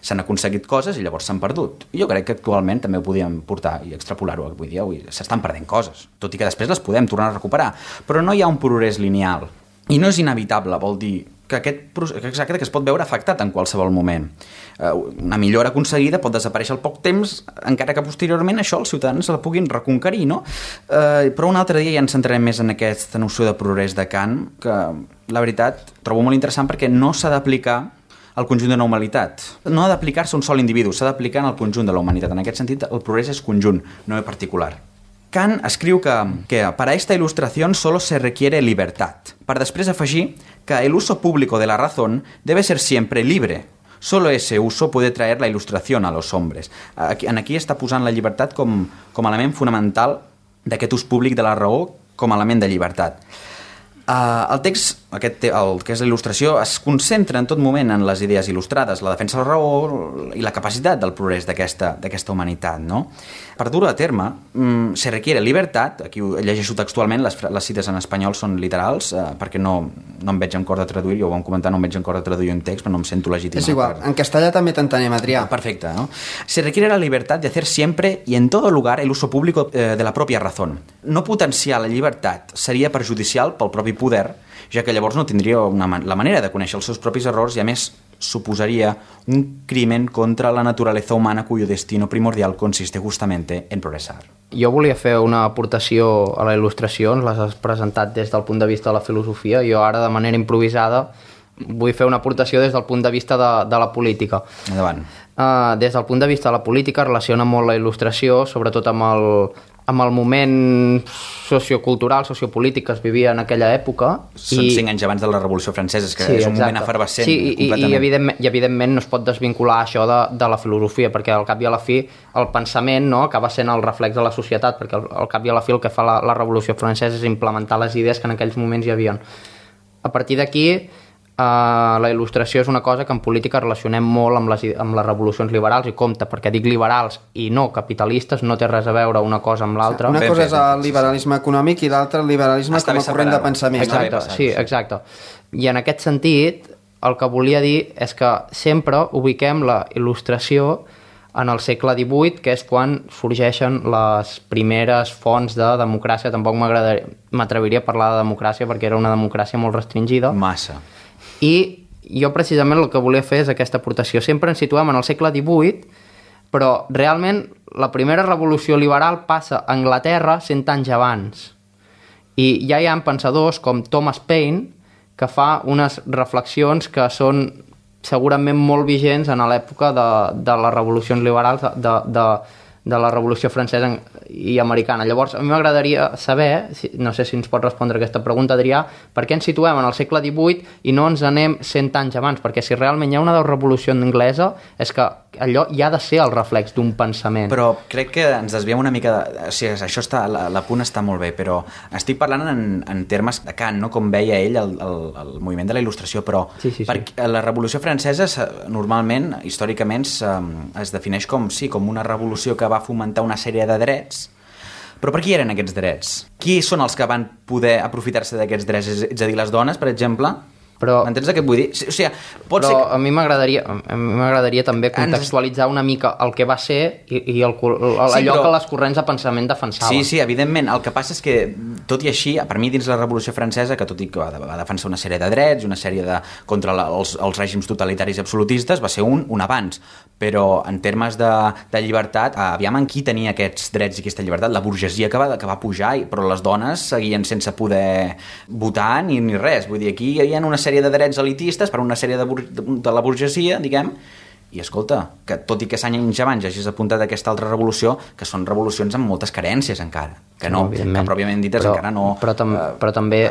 s'han aconseguit coses i llavors s'han perdut. I jo crec que actualment també ho podíem portar i extrapolar-ho avui dia. S'estan perdent coses, tot i que després les podem tornar a recuperar. Però no hi ha un progrés lineal. I no és inevitable, vol dir que aquest exacte que es pot veure afectat en qualsevol moment. Una millora aconseguida pot desaparèixer al poc temps, encara que posteriorment això els ciutadans la puguin reconquerir, no? Eh, però un altre dia ja ens centrarem més en aquesta noció de progrés de Kant, que la veritat trobo molt interessant perquè no s'ha d'aplicar al conjunt de la humanitat. No ha d'aplicar-se a un sol individu, s'ha d'aplicar en el conjunt de la humanitat. En aquest sentit, el progrés és conjunt, no és particular. Kant escriu que, que para esta ilustración solo se requiere libertad, para després afegir que el uso público de la razón debe ser siempre libre. Solo ese uso puede traer la ilustración a los hombres. Aquí, en aquí està posant la llibertat com, com a element fonamental d'aquest ús públic de la raó com a element de llibertat. Uh, el text aquest, el que és la il·lustració es concentra en tot moment en les idees il·lustrades, la defensa de la raó i la capacitat del progrés d'aquesta d'aquesta humanitat, no? Per dur-ho a terme, mmm, se requiere libertad, aquí ho llegeixo textualment, les, les cites en espanyol són literals, eh, perquè no, no em veig en cor de traduir, jo ho vam comentar, no em veig en cor de traduir un text, però no em sento legítim. És igual, per... en castellà també t'entenem, Adrià. Perfecte, ¿no? Se requiere la libertad de hacer siempre y en todo lugar el uso público eh, de la propia razón. No potenciar la llibertat seria perjudicial pel propi poder, ja que llavors no tindria una, la manera de conèixer els seus propis errors i, a més, suposaria un crimen contra la naturaleza humana cuyo destino primordial consiste justamente en progresar. Jo volia fer una aportació a la il·lustració, ens l'has presentat des del punt de vista de la filosofia, jo ara de manera improvisada vull fer una aportació des del punt de vista de, de la política. Endavant. Uh, des del punt de vista de la política relaciona molt la il·lustració, sobretot amb el, amb el moment sociocultural, sociopolític que es vivia en aquella època. Són i... cinc anys abans de la Revolució Francesa, és que sí, és un exacte. moment efervescent. Sí, i, i, evidentment, i evidentment no es pot desvincular això de, de la filosofia, perquè al cap i a la fi el pensament, no, acaba sent el reflex de la societat, perquè al, al cap i a la fi el que fa la, la Revolució Francesa és implementar les idees que en aquells moments hi havia. A partir d'aquí, Uh, la il·lustració és una cosa que en política relacionem molt amb les, amb les revolucions liberals, i compte, perquè dic liberals i no capitalistes, no té res a veure una cosa amb l'altra. Una cosa és el liberalisme econòmic i l'altra el liberalisme com a corrent de pensament. Exacte, sí, exacte. I en aquest sentit, el que volia dir és que sempre ubiquem la il·lustració en el segle divuit, que és quan sorgeixen les primeres fonts de democràcia. Tampoc m'atreviria a parlar de democràcia perquè era una democràcia molt restringida. Massa. I jo precisament el que volia fer és aquesta aportació. Sempre ens situem en el segle divuit, però realment la primera revolució liberal passa a Anglaterra cent anys abans. I ja hi ha pensadors com Thomas Paine que fa unes reflexions que són segurament molt vigents en l'època de, de les revolucions liberals de, de, de la Revolució Francesa i Americana. Llavors, a mi m'agradaria saber, no sé si ens pot respondre aquesta pregunta, Adrià, per què ens situem en el segle divuit i no ens anem cent anys abans? Perquè si realment hi ha una revolució anglesa, és que allò ja ha de ser el reflex d'un pensament. Però crec que ens desviem una mica... De... O sigui, això està, l'apunt està molt bé, però estic parlant en, en termes de Kant, no? Com veia ell el, el, el moviment de la il·lustració, però sí, sí, sí. Per la Revolució Francesa normalment, històricament, es defineix com, sí, com una revolució que va fomentar una sèrie de drets. Però per qui eren aquests drets? Qui són els que van poder aprofitar-se d'aquests drets? És a dir, les dones, per exemple? Però, m'entens què et vull dir? O sigui, pot però ser que... a mi m'agradaria a mi m'agradaria també contextualitzar una mica el que va ser i, i el, el, allò sí, però... que les corrents de pensament defensaven. Sí, sí, evidentment. El que passa és que, tot i així, per mi dins la Revolució Francesa, que tot i que va, va defensar una sèrie de drets, una sèrie de... contra la, els, els règims totalitaris i absolutistes, va ser un, un avanç. Però en termes de, de llibertat, aviam en qui tenia aquests drets i aquesta llibertat? La burgesia que va, que va pujar, però les dones seguien sense poder votar ni, ni res. Vull dir, aquí hi havia una sèrie de drets elitistes per una sèrie de, bur de la burgesia, diguem, i escolta, que tot i que s'any anys abans hagis apuntat aquesta altra revolució, que són revolucions amb moltes carències encara, que no, que pròpiament dites però, encara no... Però, tam uh, però també,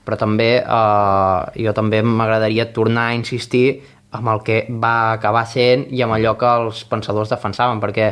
però també uh, jo també m'agradaria tornar a insistir amb el que va acabar sent i amb allò que els pensadors defensaven, perquè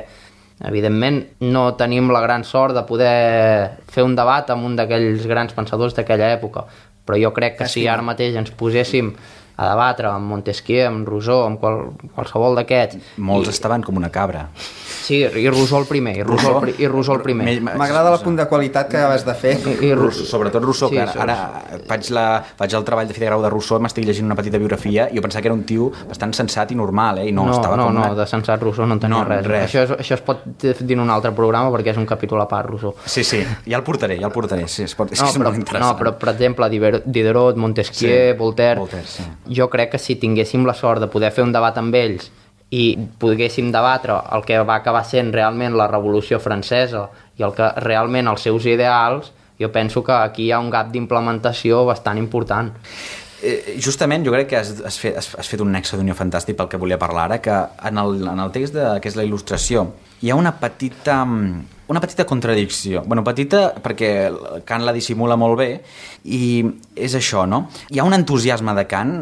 evidentment no tenim la gran sort de poder fer un debat amb un d'aquells grans pensadors d'aquella època, però jo crec que si ara mateix ens poséssim a debatre amb Montesquieu, amb Rousseau, amb qual, qualsevol d'aquests... Molts i... estaven com una cabra. Sí, i Rousseau el primer, i Rousseau, Rousseau? I Rousseau el primer. M'agrada el punt de qualitat que acabes de fer. I, i Rousseau, sobretot Rousseau, sí, que ara, ara faig, la, faig el treball de fi de grau de Rousseau, m'estic llegint una petita biografia, i jo pensava que era un tio bastant sensat i normal, eh? I no, no, estava no, com... No, una... no, de sensat Rousseau no en tenia no, res. res. Això, és, això es pot dir en un altre programa perquè és un capítol a part, Rousseau. Sí, sí, ja el portaré, ja el portaré. Sí, es pot, és no, que és però, molt interessant. No, però, per exemple, Diderot, Montesquieu, sí, Voltaire... Voltaire sí. Jo crec que si tinguéssim la sort de poder fer un debat amb ells i poguéssim debatre el que va acabar sent realment la Revolució Francesa i el que realment els seus ideals, jo penso que aquí hi ha un gap d'implementació bastant important. Eh, justament jo crec que has, has, fet, has, has fet un nexe d'unió fantàstic pel que volia parlar ara, que en el, en el text de, que és la il·lustració hi ha una petita una petita contradicció, bueno, petita perquè Kant la dissimula molt bé, i és això, no? Hi ha un entusiasme de Kant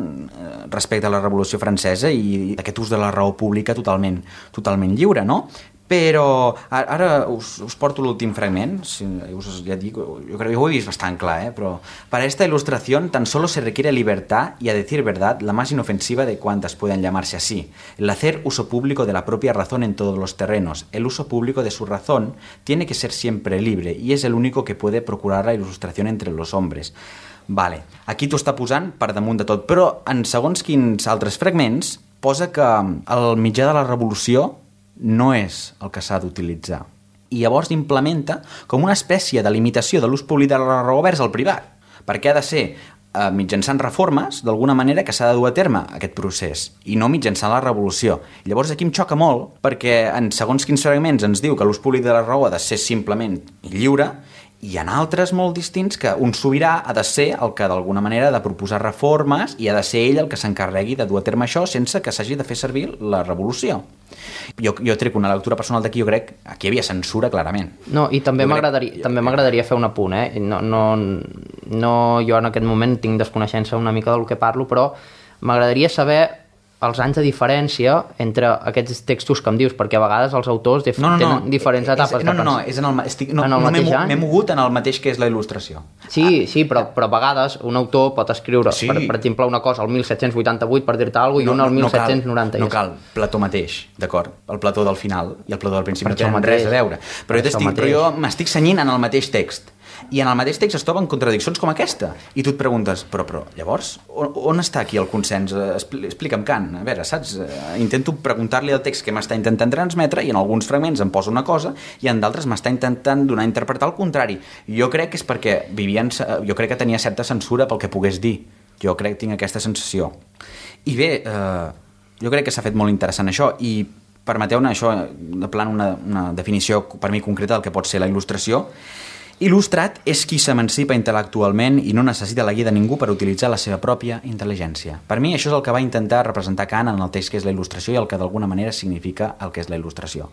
respecte a la Revolució Francesa i aquest ús de la raó pública totalment, totalment lliure, no? Però ara us, us porto l'últim fragment, si, us, ya digo, yo creo que ho he vist bastant clar, ¿eh? Pero para esta ilustración tan solo se requiere libertad y, a decir verdad, la más inofensiva de cuantas puedan llamarse así, el hacer uso público de la propia razón en todos los terrenos. El uso público de su razón tiene que ser siempre libre y es el único que puede procurar la ilustración entre los hombres. Vale, aquí t'ho està posant per damunt de tot, però en segons quins altres fragments posa que el mitjà de la revolució no és el que s'ha d'utilitzar. I llavors implementa com una espècie de limitació de l'ús públic de la raó vers el privat, perquè ha de ser eh, mitjançant reformes, d'alguna manera, que s'ha de dur a terme aquest procés, i no mitjançant la revolució. Llavors aquí em xoca molt, perquè en segons quins fragments ens diu que l'ús públic de la raó ha de ser simplement lliure, i hi ha altres molt distints que un sobirà ha de ser el que d'alguna manera ha de proposar reformes i ha de ser ell el que s'encarregui de dur a terme això sense que s'hagi de fer servir la revolució. Jo, jo trec una lectura personal d'aquí, jo crec que aquí hi havia censura clarament. No, i també m'agradaria crec... també m'agradaria fer un apunt, eh? No, no, no, jo en aquest moment tinc desconeixença una mica del que parlo, però m'agradaria saber els anys de diferència entre aquests textos que em dius, perquè a vegades els autors dif no, no, no. tenen diferents etapes. És, no, no, no, és en el, estic, no, en el no m'he mogut en el mateix que és la il·lustració. Sí, ah, sí, però, però a vegades un autor pot escriure, sí. per, per exemple, una cosa al mil set-cents vuitanta-vuit, per dir-te alguna cosa, i no, una al mil set-cents noranta. No cal, no cal, Plató mateix, d'acord? El Plató del final i el Plató del principi no tenen res a veure. Però jo, però jo m'estic cenyint en el mateix text. I en el mateix text es troben contradiccions com aquesta. I tu et preguntes, però, però llavors, on, on està aquí el consens? Explica'm, Kant. A veure, saps? Intento preguntar-li el text que m'està intentant transmetre i en alguns fragments em posa una cosa i en d'altres m'està intentant donar a interpretar el contrari. Jo crec que és perquè vivien, jo crec que tenia certa censura pel que pogués dir. Jo crec que tinc aquesta sensació. I bé, eh, jo crec que s'ha fet molt interessant això i permeteu-ne això, de plan una, una definició per mi concreta del que pot ser la il·lustració. Il·lustrat és qui s'emancipa intel·lectualment i no necessita la guia de ningú per utilitzar la seva pròpia intel·ligència. Per mi això és el que va intentar representar Kant en el text que és la il·lustració i el que d'alguna manera significa el que és la il·lustració.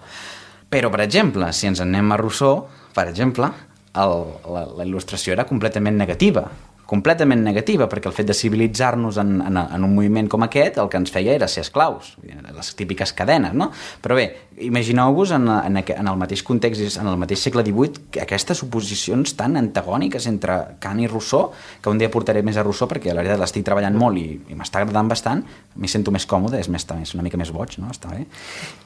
Però, per exemple, si ens en anem a Rousseau, per exemple, el, la, la il·lustració era completament negativa. completament negativa, perquè el fet de civilitzar-nos en, en, en un moviment com aquest el que ens feia era ser esclaus, les típiques cadenes, no? Però bé, imagineu-vos en, en, en el mateix context, en el mateix segle divuit, aquestes oposicions tan antagòniques entre Kant i Rousseau, que un dia portaré més a Rousseau perquè la veritat l'estic treballant molt i, i m'està agradant bastant, m'hi sento més còmode, és més, més, una mica més boig, no? Està bé.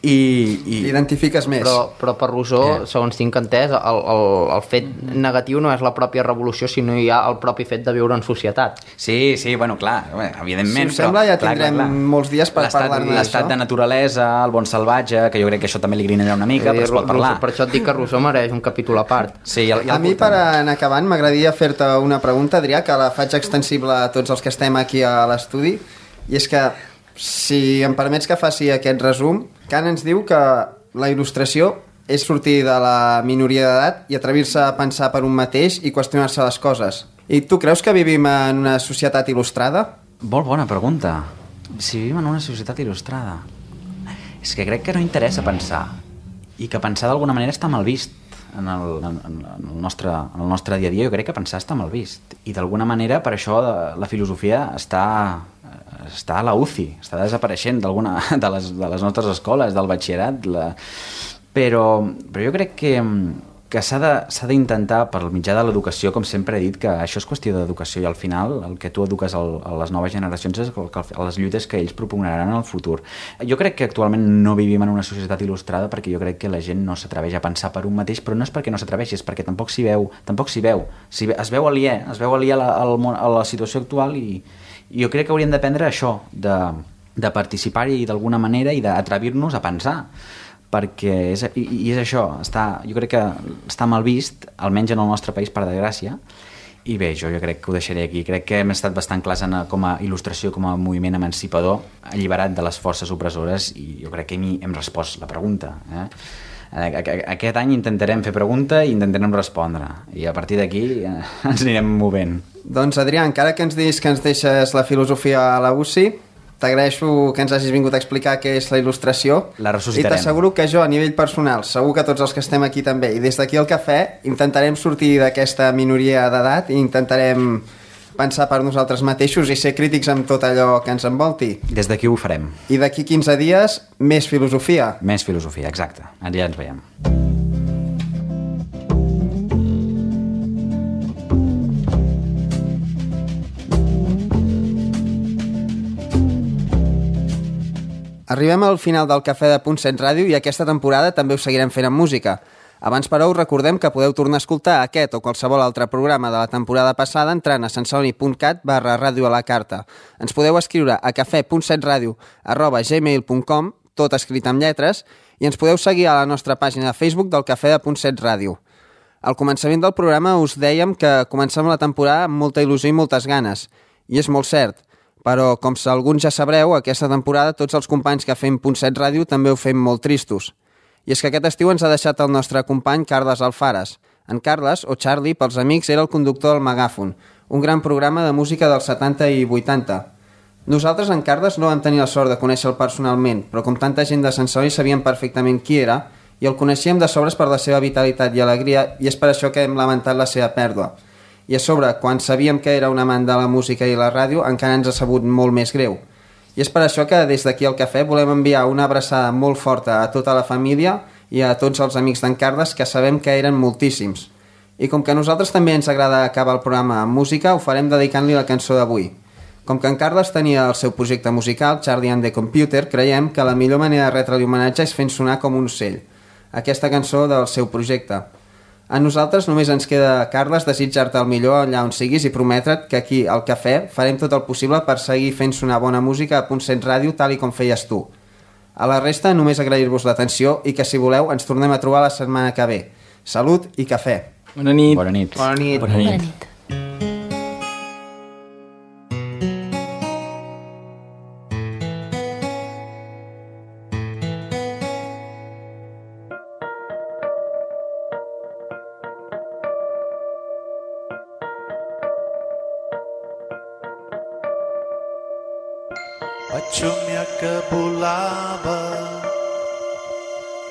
I, i... T'identifiques més. Però, però per Rousseau, eh. segons tinc entès, el, el, el fet negatiu no és la pròpia revolució, sinó hi ha el propi fet de viure en societat. Sí, sí, bueno, clar, evidentment. Si us sembla, però, ja tindrem clar, clar, clar. molts dies per parlar-ne d'això. L'estat de naturalesa, el bon salvatge, que jo crec que això també li grinarà una mica, però es pot parlar. Per això et dic que Rousseau mereix un capítol a part. Sí, ja, ja a mi, per anar acabant, m'agradaria fer-te una pregunta, Adrià, que la faig extensible a tots els que estem aquí a l'estudi, i és que, si em permets que faci aquest resum, Kant ens diu que la il·lustració és sortir de la minoria d'edat i atrevir-se a pensar per un mateix i qüestionar-se les coses. I tu creus que vivim en una societat il·lustrada? Molt bona pregunta. Si vivim en una societat il·lustrada. És que crec que no interessa pensar. I que pensar d'alguna manera està mal vist en el, en, en el, nostre, en el nostre dia a dia. Jo crec que pensar està mal vist. I d'alguna manera per això la filosofia està, està a la U C I, està desapareixent d'alguna de les, de les nostres escoles, del batxillerat. La... Però, però jo crec que... que s'ha d'intentar, per mitjà de l'educació, com sempre he dit, que això és qüestió d'educació i al final el que tu eduques el, a les noves generacions és el, el, les lluites que ells propugnaran en el futur. Jo crec que actualment no vivim en una societat il·lustrada perquè jo crec que la gent no s'atreveix a pensar per un mateix, però no és perquè no s'atreveixi, és perquè tampoc s'hi veu, tampoc s'hi veu. Si es veu aliè, es veu aliè a la, a la situació actual i, i jo crec que hauríem d'aprendre això, de, de participar-hi d'alguna manera i d'atrevir-nos a pensar, perquè és, i, i és això, està, jo crec que està mal vist, almenys en el nostre país, per desgràcia, i bé, jo, jo crec que ho deixaré aquí. Crec que hem estat bastant clars en, com a il·lustració, com a moviment emancipador, alliberat de les forces opressores, i jo crec que hem, hem respost la pregunta. Eh? Aquest any intentarem fer pregunta i intentarem respondre, i a partir d'aquí eh, ens anirem movent. Doncs, Adrià, encara que ens diguis que ens deixes la filosofia a la U C I, t'agraeixo que ens hagis vingut a explicar què és la il·lustració. La ressuscitarem. I t'asseguro que jo, a nivell personal, segur que tots els que estem aquí també, i des d'aquí al cafè, intentarem sortir d'aquesta minoria d'edat i intentarem pensar per nosaltres mateixos i ser crítics amb tot allò que ens envolti. Des d'aquí ho farem. I d'aquí quinze dies, més filosofia. Més filosofia, exacte. Allà ens veiem. Arribem al final del Cafè de Punt set Ràdio i aquesta temporada també ho seguirem fent amb música. Abans, però, us recordem que podeu tornar a escoltar aquest o qualsevol altre programa de la temporada passada entrant a sensoni.cat barra ràdio a la carta. Ens podeu escriure a cafè punt set ràdio arroba gmail punt com, tot escrit amb lletres, i ens podeu seguir a la nostra pàgina de Facebook del Cafè de Punt set Ràdio. Al començament del programa us dèiem que comencem la temporada amb molta il·lusió i moltes ganes, i és molt cert, però, com alguns ja sabreu, aquesta temporada tots els companys que fem Punt set Ràdio també ho fem molt tristos. I és que aquest estiu ens ha deixat el nostre company Carles Alfares. En Carles, o Charlie, pels amics, era el conductor del Megàfon, un gran programa de música dels setanta i vuitanta. Nosaltres, en Carles, no vam tenir la sort de conèixer-lo personalment, però com tanta gent de Sensori sabíem perfectament qui era i el coneixíem de sobres per la seva vitalitat i alegria, i és per això que hem lamentat la seva pèrdua. I a sobre, quan sabíem que era un amant de la música i la ràdio, encara ens ha sabut molt més greu. I és per això que des d'aquí al Cafè volem enviar una abraçada molt forta a tota la família i a tots els amics d'en Carles, que sabem que eren moltíssims. I com que a nosaltres també ens agrada acabar el programa amb música, ho farem dedicant-li la cançó d'avui. Com que en Carles tenia el seu projecte musical, Charlie and the Computer, creiem que la millor manera de retre-li homenatge és fent sonar com un ocell. Aquesta cançó del seu projecte. A nosaltres només ens queda, Carles, desitjar-te el millor allà on siguis i prometre't que aquí, al Cafè, farem tot el possible per seguir fent sonar bona música a Punt set Ràdio tal i com feies tu. A la resta, només agrair-vos l'atenció i que, si voleu, ens tornem a trobar la setmana que ve. Salut i cafè. Bona nit. Bona nit. Bona nit. Bona nit. Bona nit. Vaig somiar que volava,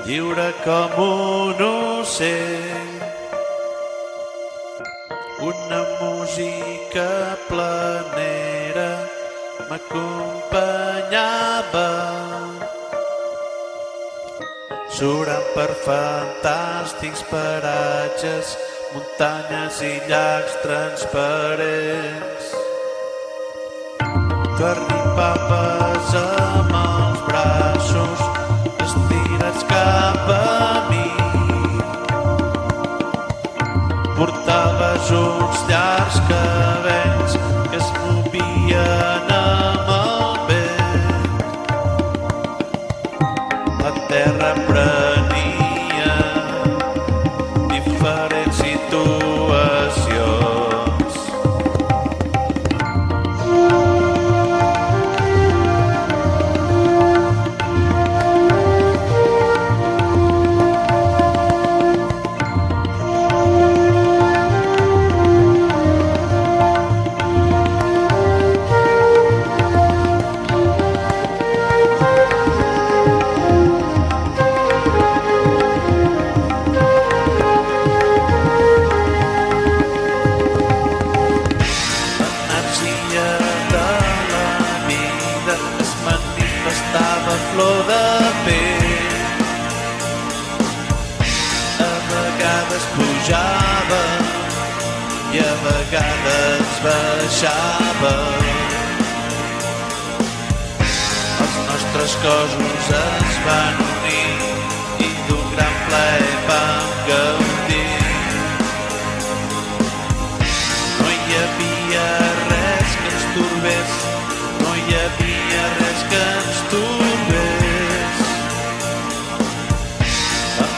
lliure com un ocell. Una música planera m'acompanyava, surant per fantàstics paratges, muntanyes i llacs transparents. Tu arribaves amb els braços estirats cap a mi. Portaves uns llargs cabells que es movien amb el vent. La terra prenia diferents situacions. Flor de pell, a vegades pujava i a vegades baixava. Els nostres cossos es van unir i d'un gran plaer vam gaudir. No hi havia res que ens torbés, no hi havia res que ens torbés.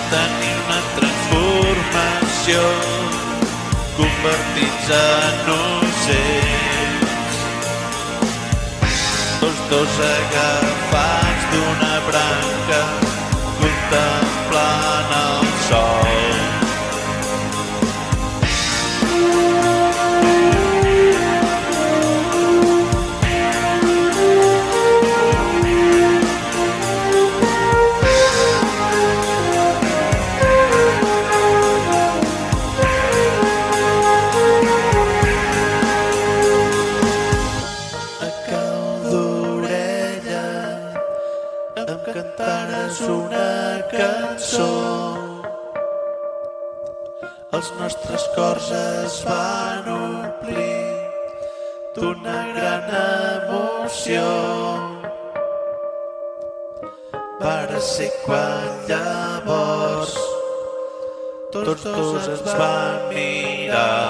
Tenir una transformació, convertits en ocells, tots dos agafats d'una branca, contemplant el sol. nostres cors es van omplir d'una gran emoció. Va ser quan llavors tots dos ens van mirar